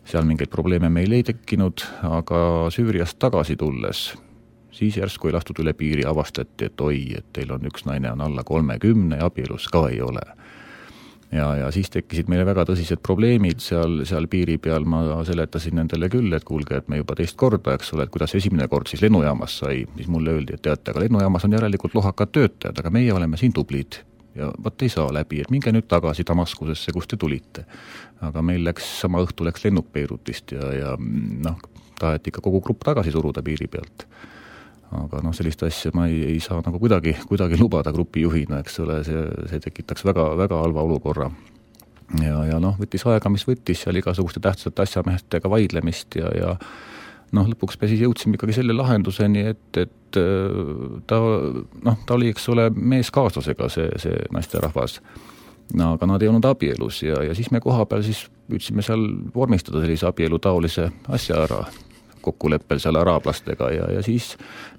[SPEAKER 2] seal mingeid probleeme meil ei tekkinud, aga Süüriast tagasi tulles, siis järsku ei lastud üle piiri, avastati, et oi, et teil on üks naine on alla kolmekümne ja abielus ka ei ole. ja, ja siis tekkisid meile väga tõsised probleemid seal, seal piiri peal, ma seletasin nendele küll, et kuulge, et me juba teist korda, eks ole, et kuidas esimene kord siis lennujaamas sai, siis mulle öeldi, et teate, aga lennujaamas on järelikult lohakad töötajad, aga meie oleme siin tublid ja võt ei saa läbi, et minge nüüd tagasi Damaskusesse, kust te tulite. Aga meil läks, sama õhtu läks lennuk Beirutist ja, ja noh, taheti ikka kogu grupp tagasi suruda piiri pealt. Aga noh, sellist asja ma ei, ei saa nagu kuidagi, kuidagi lubada grupi juhina, eks ole, see, see tekitaks väga, väga halva olukorra. Ja, ja noh, võttis aega, mis võttis seal igasuguste tähtsate asjameestega vaidlemist ja, ja noh, lõpuks me siis jõudsime ikkagi selle lahenduseni, et, et ta, noh, ta oli, eks ole, meeskaaslasega see, see naisterahvas. No, aga nad ei olnud abielus ja, ja siis me koha peal siis püüdsime seal vormistada sellise abielu taolise asja ära kokkuleppel seal araablastega ja, ja siis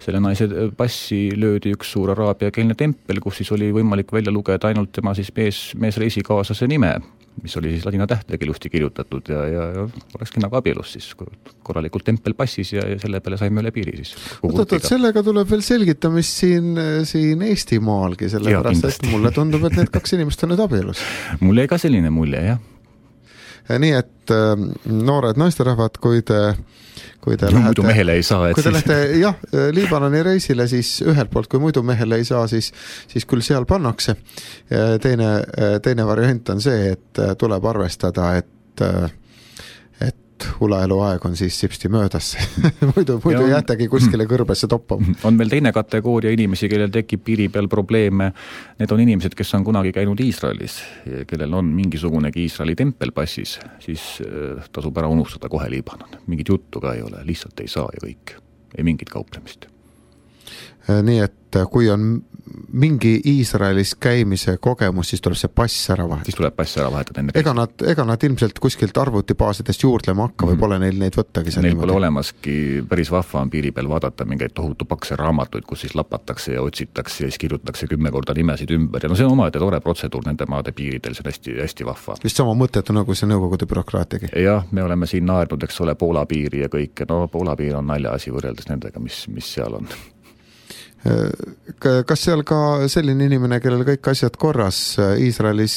[SPEAKER 2] selle naise passi löödi üks suur araabiakeelne tempel, kus siis oli võimalik välja lugeda ainult tema siis mees, meesreisikaaslase nime, mis oli siis ladina tähtedega ilusti kirjutatud ja, ja, ja olekski nagu abielus siis korralikult tempel passis ja, ja selle peale saime üle piiri siis.
[SPEAKER 1] Oot, sellega tuleb veel selgitamist siin, siin Eestimaalgi, selle ja, pärast, et mulle tundub, et need kaks inimest on nüüd abielus.
[SPEAKER 2] Mulle ei ka selline mulje, jah.
[SPEAKER 1] Ja nii, et äh, noored naisterahvad, kui te kui te
[SPEAKER 2] no,
[SPEAKER 1] lähete,
[SPEAKER 2] mehele ei saa,
[SPEAKER 1] kui te siis... lähete jah, Liibanoni reisile, siis ühelt poolt, kui muidu mehele ei saa, siis, siis küll seal pannakse. Teine, teine variant on see, et tuleb arvestada, et, et hulaelu aeg on siis sipsti möödas. muidu muidu on... jäätegi kuskile kõrbesse toppama.
[SPEAKER 2] On veel teine kategooria inimesi, kellel tekib piiri peal probleeme. Need on inimesed, kes on kunagi käinud Iisraelis, kellel on mingisugunegi Iisraeli tempel passis, siis tasub ära unustada kohe Liibanon. Mingit juttu ka ei ole, lihtsalt ei saa ja kõik. Ei mingit kauplemist.
[SPEAKER 1] Nii et kui on mingi Iisraelis käimise kogemus, siis tuleb see pass ära vahetada.
[SPEAKER 2] Siis tuleb pass ära vahetada enne.
[SPEAKER 1] Ega nad, ega nad ilmselt kuskilt arvutibaasidest juurdlema hakka või mm. pole neil neid võttagi.
[SPEAKER 2] Neil niimoodi. Pole olemaski, päris vahva on piiri peal vaadata mingeid tohutu pakse raamatuid, kus siis lapatakse ja otsitakse ja siis kirjutatakse kümme korda nimesid ümber. Ja no see on omaette tore protseduur nende maade piiridel, see on hästi, hästi vahva.
[SPEAKER 1] Vist sama mõttetu nagu see nõukogude bürokraatiagi.
[SPEAKER 2] Jah, me oleme siin naerdnud, eks ole, Poola piiri ja kõik. No Poola piir on nalja asi võrreldes nendega, mis, mis seal on.
[SPEAKER 1] Kas seal ka selline inimene, kellel kõik asjad korras Iisraelis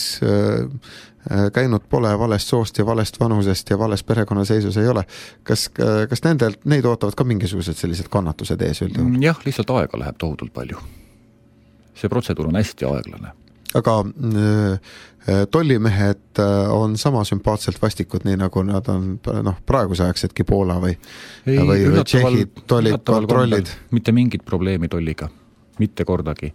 [SPEAKER 1] käinud pole, valest soost ja valest vanusest ja valest perekonnaseisus ei ole, kas, kas nendel, neid ootavad ka mingisugused sellised kannatused ees üldjuhul?
[SPEAKER 2] Jah, lihtsalt aega läheb tohutult palju. See protseduur on hästi aeglane.
[SPEAKER 1] Aga tollimehed on sama sümpaatselt vastikud, nii nagu nad on noh, praeguse aegsetki Poola või, ei, või, või Tšehhid tollid, kontrollid.
[SPEAKER 2] Mitte mingit probleemi tolliga, mitte kordagi.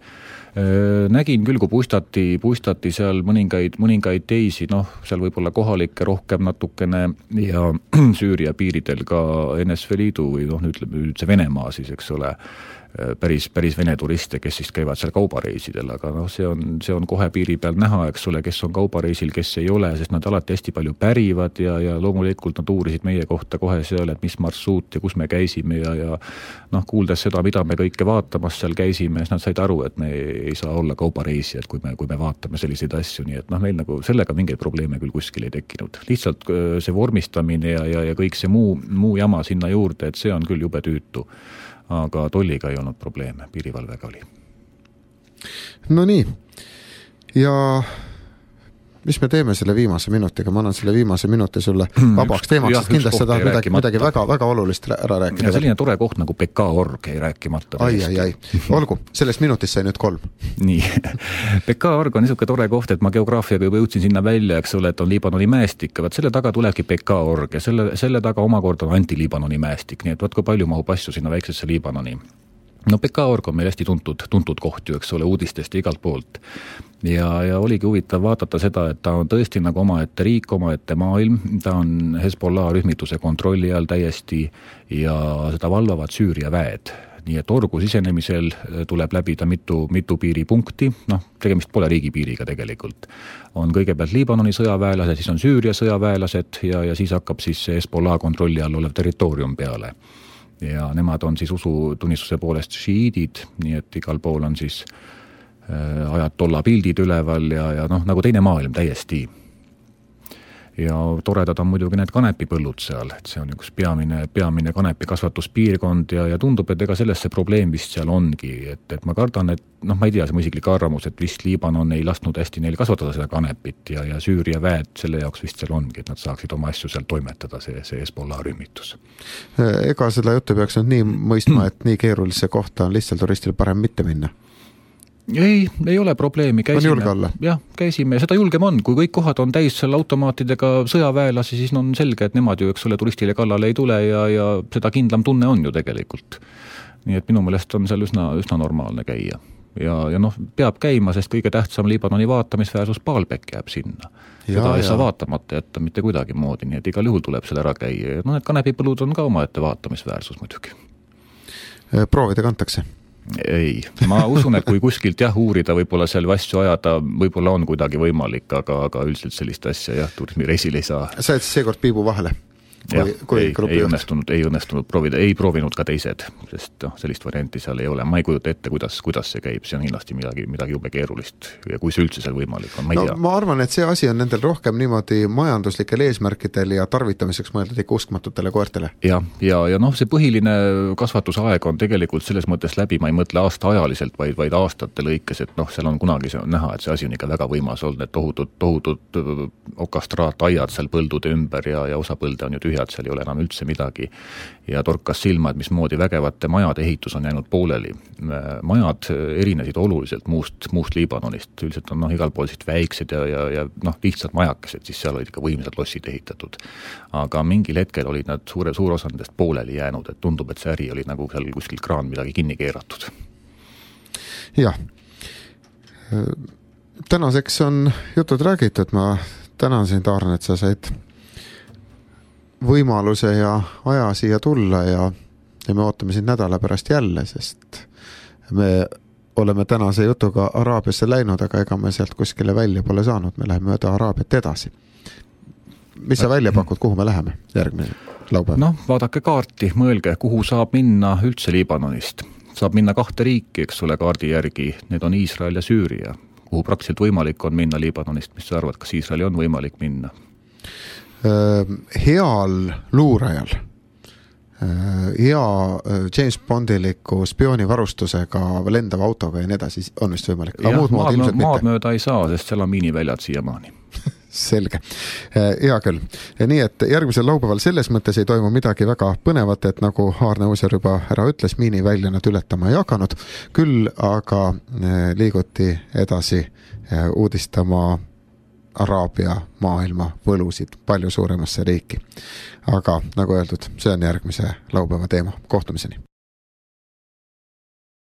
[SPEAKER 2] Nägin küll, kui puistati, puistati seal mõningaid, mõningaid teisi, noh, seal võib-olla kohalikke rohkem natukene ja Süüria piiridel ka N S V Liidu või noh, ütleme nüüd see Venemaa siis, eks ole, päris, päris vene turiste, kes siis käivad seal kaubareisidel, aga noh, see on, see on kohe piiri peal näha, eks ole, kes on kaubareisil, kes ei ole, sest nad alati hästi palju pärivad ja, ja loomulikult nad uurisid meie kohta kohe seal, et mis marsruut ja kus me käisime ja, ja noh, kuuldes seda, mida me kõike vaatamas seal käisime, siis nad said aru, et me ei saa olla kaubareisijad, kui me, kui me vaatame selliseid asju, nii et noh, meil nagu sellega mingeid probleeme küll kuskil ei tekkinud. Lihtsalt see vormistamine ja, ja, ja kõik see muu, muu jama sinna juurde, et see on küll jube tüütu. Aga tolliga ei olnud probleeme, piirivalvega oli.
[SPEAKER 1] No nii, ja mis me teeme selle viimase minutiga? Ma annan selle viimase minuti sulle vabaks teemaks, sest kindlasti seda midagi, midagi väga, väga olulist ära rääkida.
[SPEAKER 2] Ja selline tore koht nagu P K org ei rääkimata.
[SPEAKER 1] Ai, ai, ai. Olgu, sellest minutist sai nüüd kolm.
[SPEAKER 2] Nii. P K org on niisugune tore koht, et ma geograafiaga juba jõudsin sinna välja, eks ole, et on Liibanoni mäestik, vaat selle taga tulebki P K org ja selle, selle taga omakorda on anti-Liibanoni mäestik, nii et vaat kui palju mahub asju sinna väiksesse Liibanoni. No P K org on meil hästi tuntud, tuntud koht ju, eks ole, uudistest ja igalt poolt. Ja, ja oligi huvitav vaadata seda, et ta on tõesti nagu omaette riik, omaette maailm, ta on Hezbollah rühmituse kontrolli all täiesti ja seda valvavad Süüria väed. Nii et orgu sisenemisel tuleb läbida mitu, mitu piiripunkti, noh, tegemist pole riigipiiriga tegelikult. On kõigepealt Liibanoni sõjaväelased, siis on Süüria sõjaväelased ja, ja siis hakkab siis Hezbollah kontrolli all olev territoorium peale. Ja nemad on siis usutunnistuse poolest šiidid, nii et igal pool on siis äh, ajatolla pildid üleval ja, ja noh, nagu teine maailm täiesti. ja toredad on muidugi need kanepipõllud seal, et see on üks peamine, peamine kanepikasvatuspiirkond ja, ja tundub, et ega sellest see probleem vist seal ongi, et, et ma kardan, et noh, ma ei tea, see mu isiklik arvamus, et vist Liibanon ei lasknud hästi neil kasvatada seda kanepit ja, ja Süüria väed selle jaoks vist seal ongi, et nad saaksid oma asju seal toimetada, see, see Hezbollah rühmitus.
[SPEAKER 1] Ega seda juttu peaks nüüd nii mõistma, et nii keerulise kohta on lihtsalt turistil parem mitte minna?
[SPEAKER 2] Ei, ei ole probleemi, käisime, jah, käisime ja seda julgem on, kui kõik kohad on täis seal automaatidega sõjaväelasi, siis on selge, et nemad ju, eks ole, turistile kallale ei tule ja, ja seda kindlam tunne on ju tegelikult. Nii et minu meelest on seal üsna, üsna normaalne käia. Ja, ja noh, peab käima, sest kõige tähtsam Liibanoni vaatamisväärsus Baalbek jääb sinna. Ja, seda ei ja. saa vaatamata jätta mitte kuidagi moodi, nii et igal juhul tuleb seal ära käia. Ja no need kanepipõlud on ka oma ette vaatamisväärsus muidugi.
[SPEAKER 1] Proovida kantakse?
[SPEAKER 2] Ei, ma usun, et kui kuskilt jah, uurida, võib-olla seal asju ajada, võib-olla on kuidagi võimalik, aga, aga üldiselt sellist asja jah, turismireisil ei saa.
[SPEAKER 1] Sa et seekord piibu vahele?
[SPEAKER 2] Kui, jah, kui ei, ei õnnestunud, ei õnnestunud proovida, ei proovinud ka teised, sest noh, sellist varianti seal ei ole. Ma ei kujuta ette, kuidas, kuidas see käib, see on kindlasti midagi, midagi jube keerulist ja kui see üldse seal võimalik on, ma ei
[SPEAKER 1] no,
[SPEAKER 2] tea.
[SPEAKER 1] Ma arvan, et see asi on nendel rohkem niimoodi majanduslikel eesmärkidel ja tarvitamiseks mõeldud ikka uskmatutele koertele.
[SPEAKER 2] Ja, ja, ja noh, see põhiline kasvatusaeg on tegelikult selles mõttes läbi, ma ei mõtle aasta ajaliselt, vaid, vaid aastate lõikes, et noh, seal on kunagi see on näha, et see asi on ikka väga võimas olnud, et tohutud, tohutud okastraataiad seal põldude ümber ja, ja osa põlde on ju tühjad, seal ei ole enam üldse midagi ja torkas silma, et mismoodi vägevate majade ehitus on jäänud pooleli. Majad erinesid oluliselt muust, muust Liibanonist, üldiselt on noh, igal pool siit väiksed ja, ja, ja noh, lihtsalt majakesed, siis seal olid ikka võimsad lossid ehitatud. Aga mingil hetkel olid nad suure, suur osa nendest pooleli jäänud, et tundub, et see äri oli nagu seal kuskil kraan midagi kinni keeratud.
[SPEAKER 1] Jah. Tänaseks on jutud räägitud, ma tänan sind, Aarne, et sa said võimaluse ja aja siia tulla ja, ja me ootame sind nädala pärast jälle, sest me oleme tänase jutuga Araabiasse läinud, aga ega me sealt kuskile välja pole saanud, me läheme mööda Araabiat edasi. Mis sa välja pakud, kuhu me läheme järgmine laupäev?
[SPEAKER 2] Noh, vaadake kaarti, mõelge, kuhu saab minna üldse Liibanonist. Saab minna kahte riiki, eks ole, kaardi järgi, need on Iisrael ja Süüria, kuhu praktiliselt võimalik on minna Liibanonist, mis sa arvad, kas Iisraeli on võimalik minna?
[SPEAKER 1] Heal luurajal, hea James Bondiliku spioonivarustusega, lendava autoga ja nii edasi on vist võimalik.
[SPEAKER 2] Jah, maad, maad mööda ei saa, sest seal on miiniväljad siiamaani.
[SPEAKER 1] Selge. Hea küll. Ja nii, et järgmisel laupäeval selles mõttes ei toimu midagi väga põnevat, et nagu Aarne Uusar juba ära ütles, miinivälja nad ületama ei hakanud. Küll aga liiguti edasi uudistama Araabia maailma võlusid palju suuremasse riiki. Aga nagu öeldud, see on järgmise laupäeva teema. Kohtumiseni!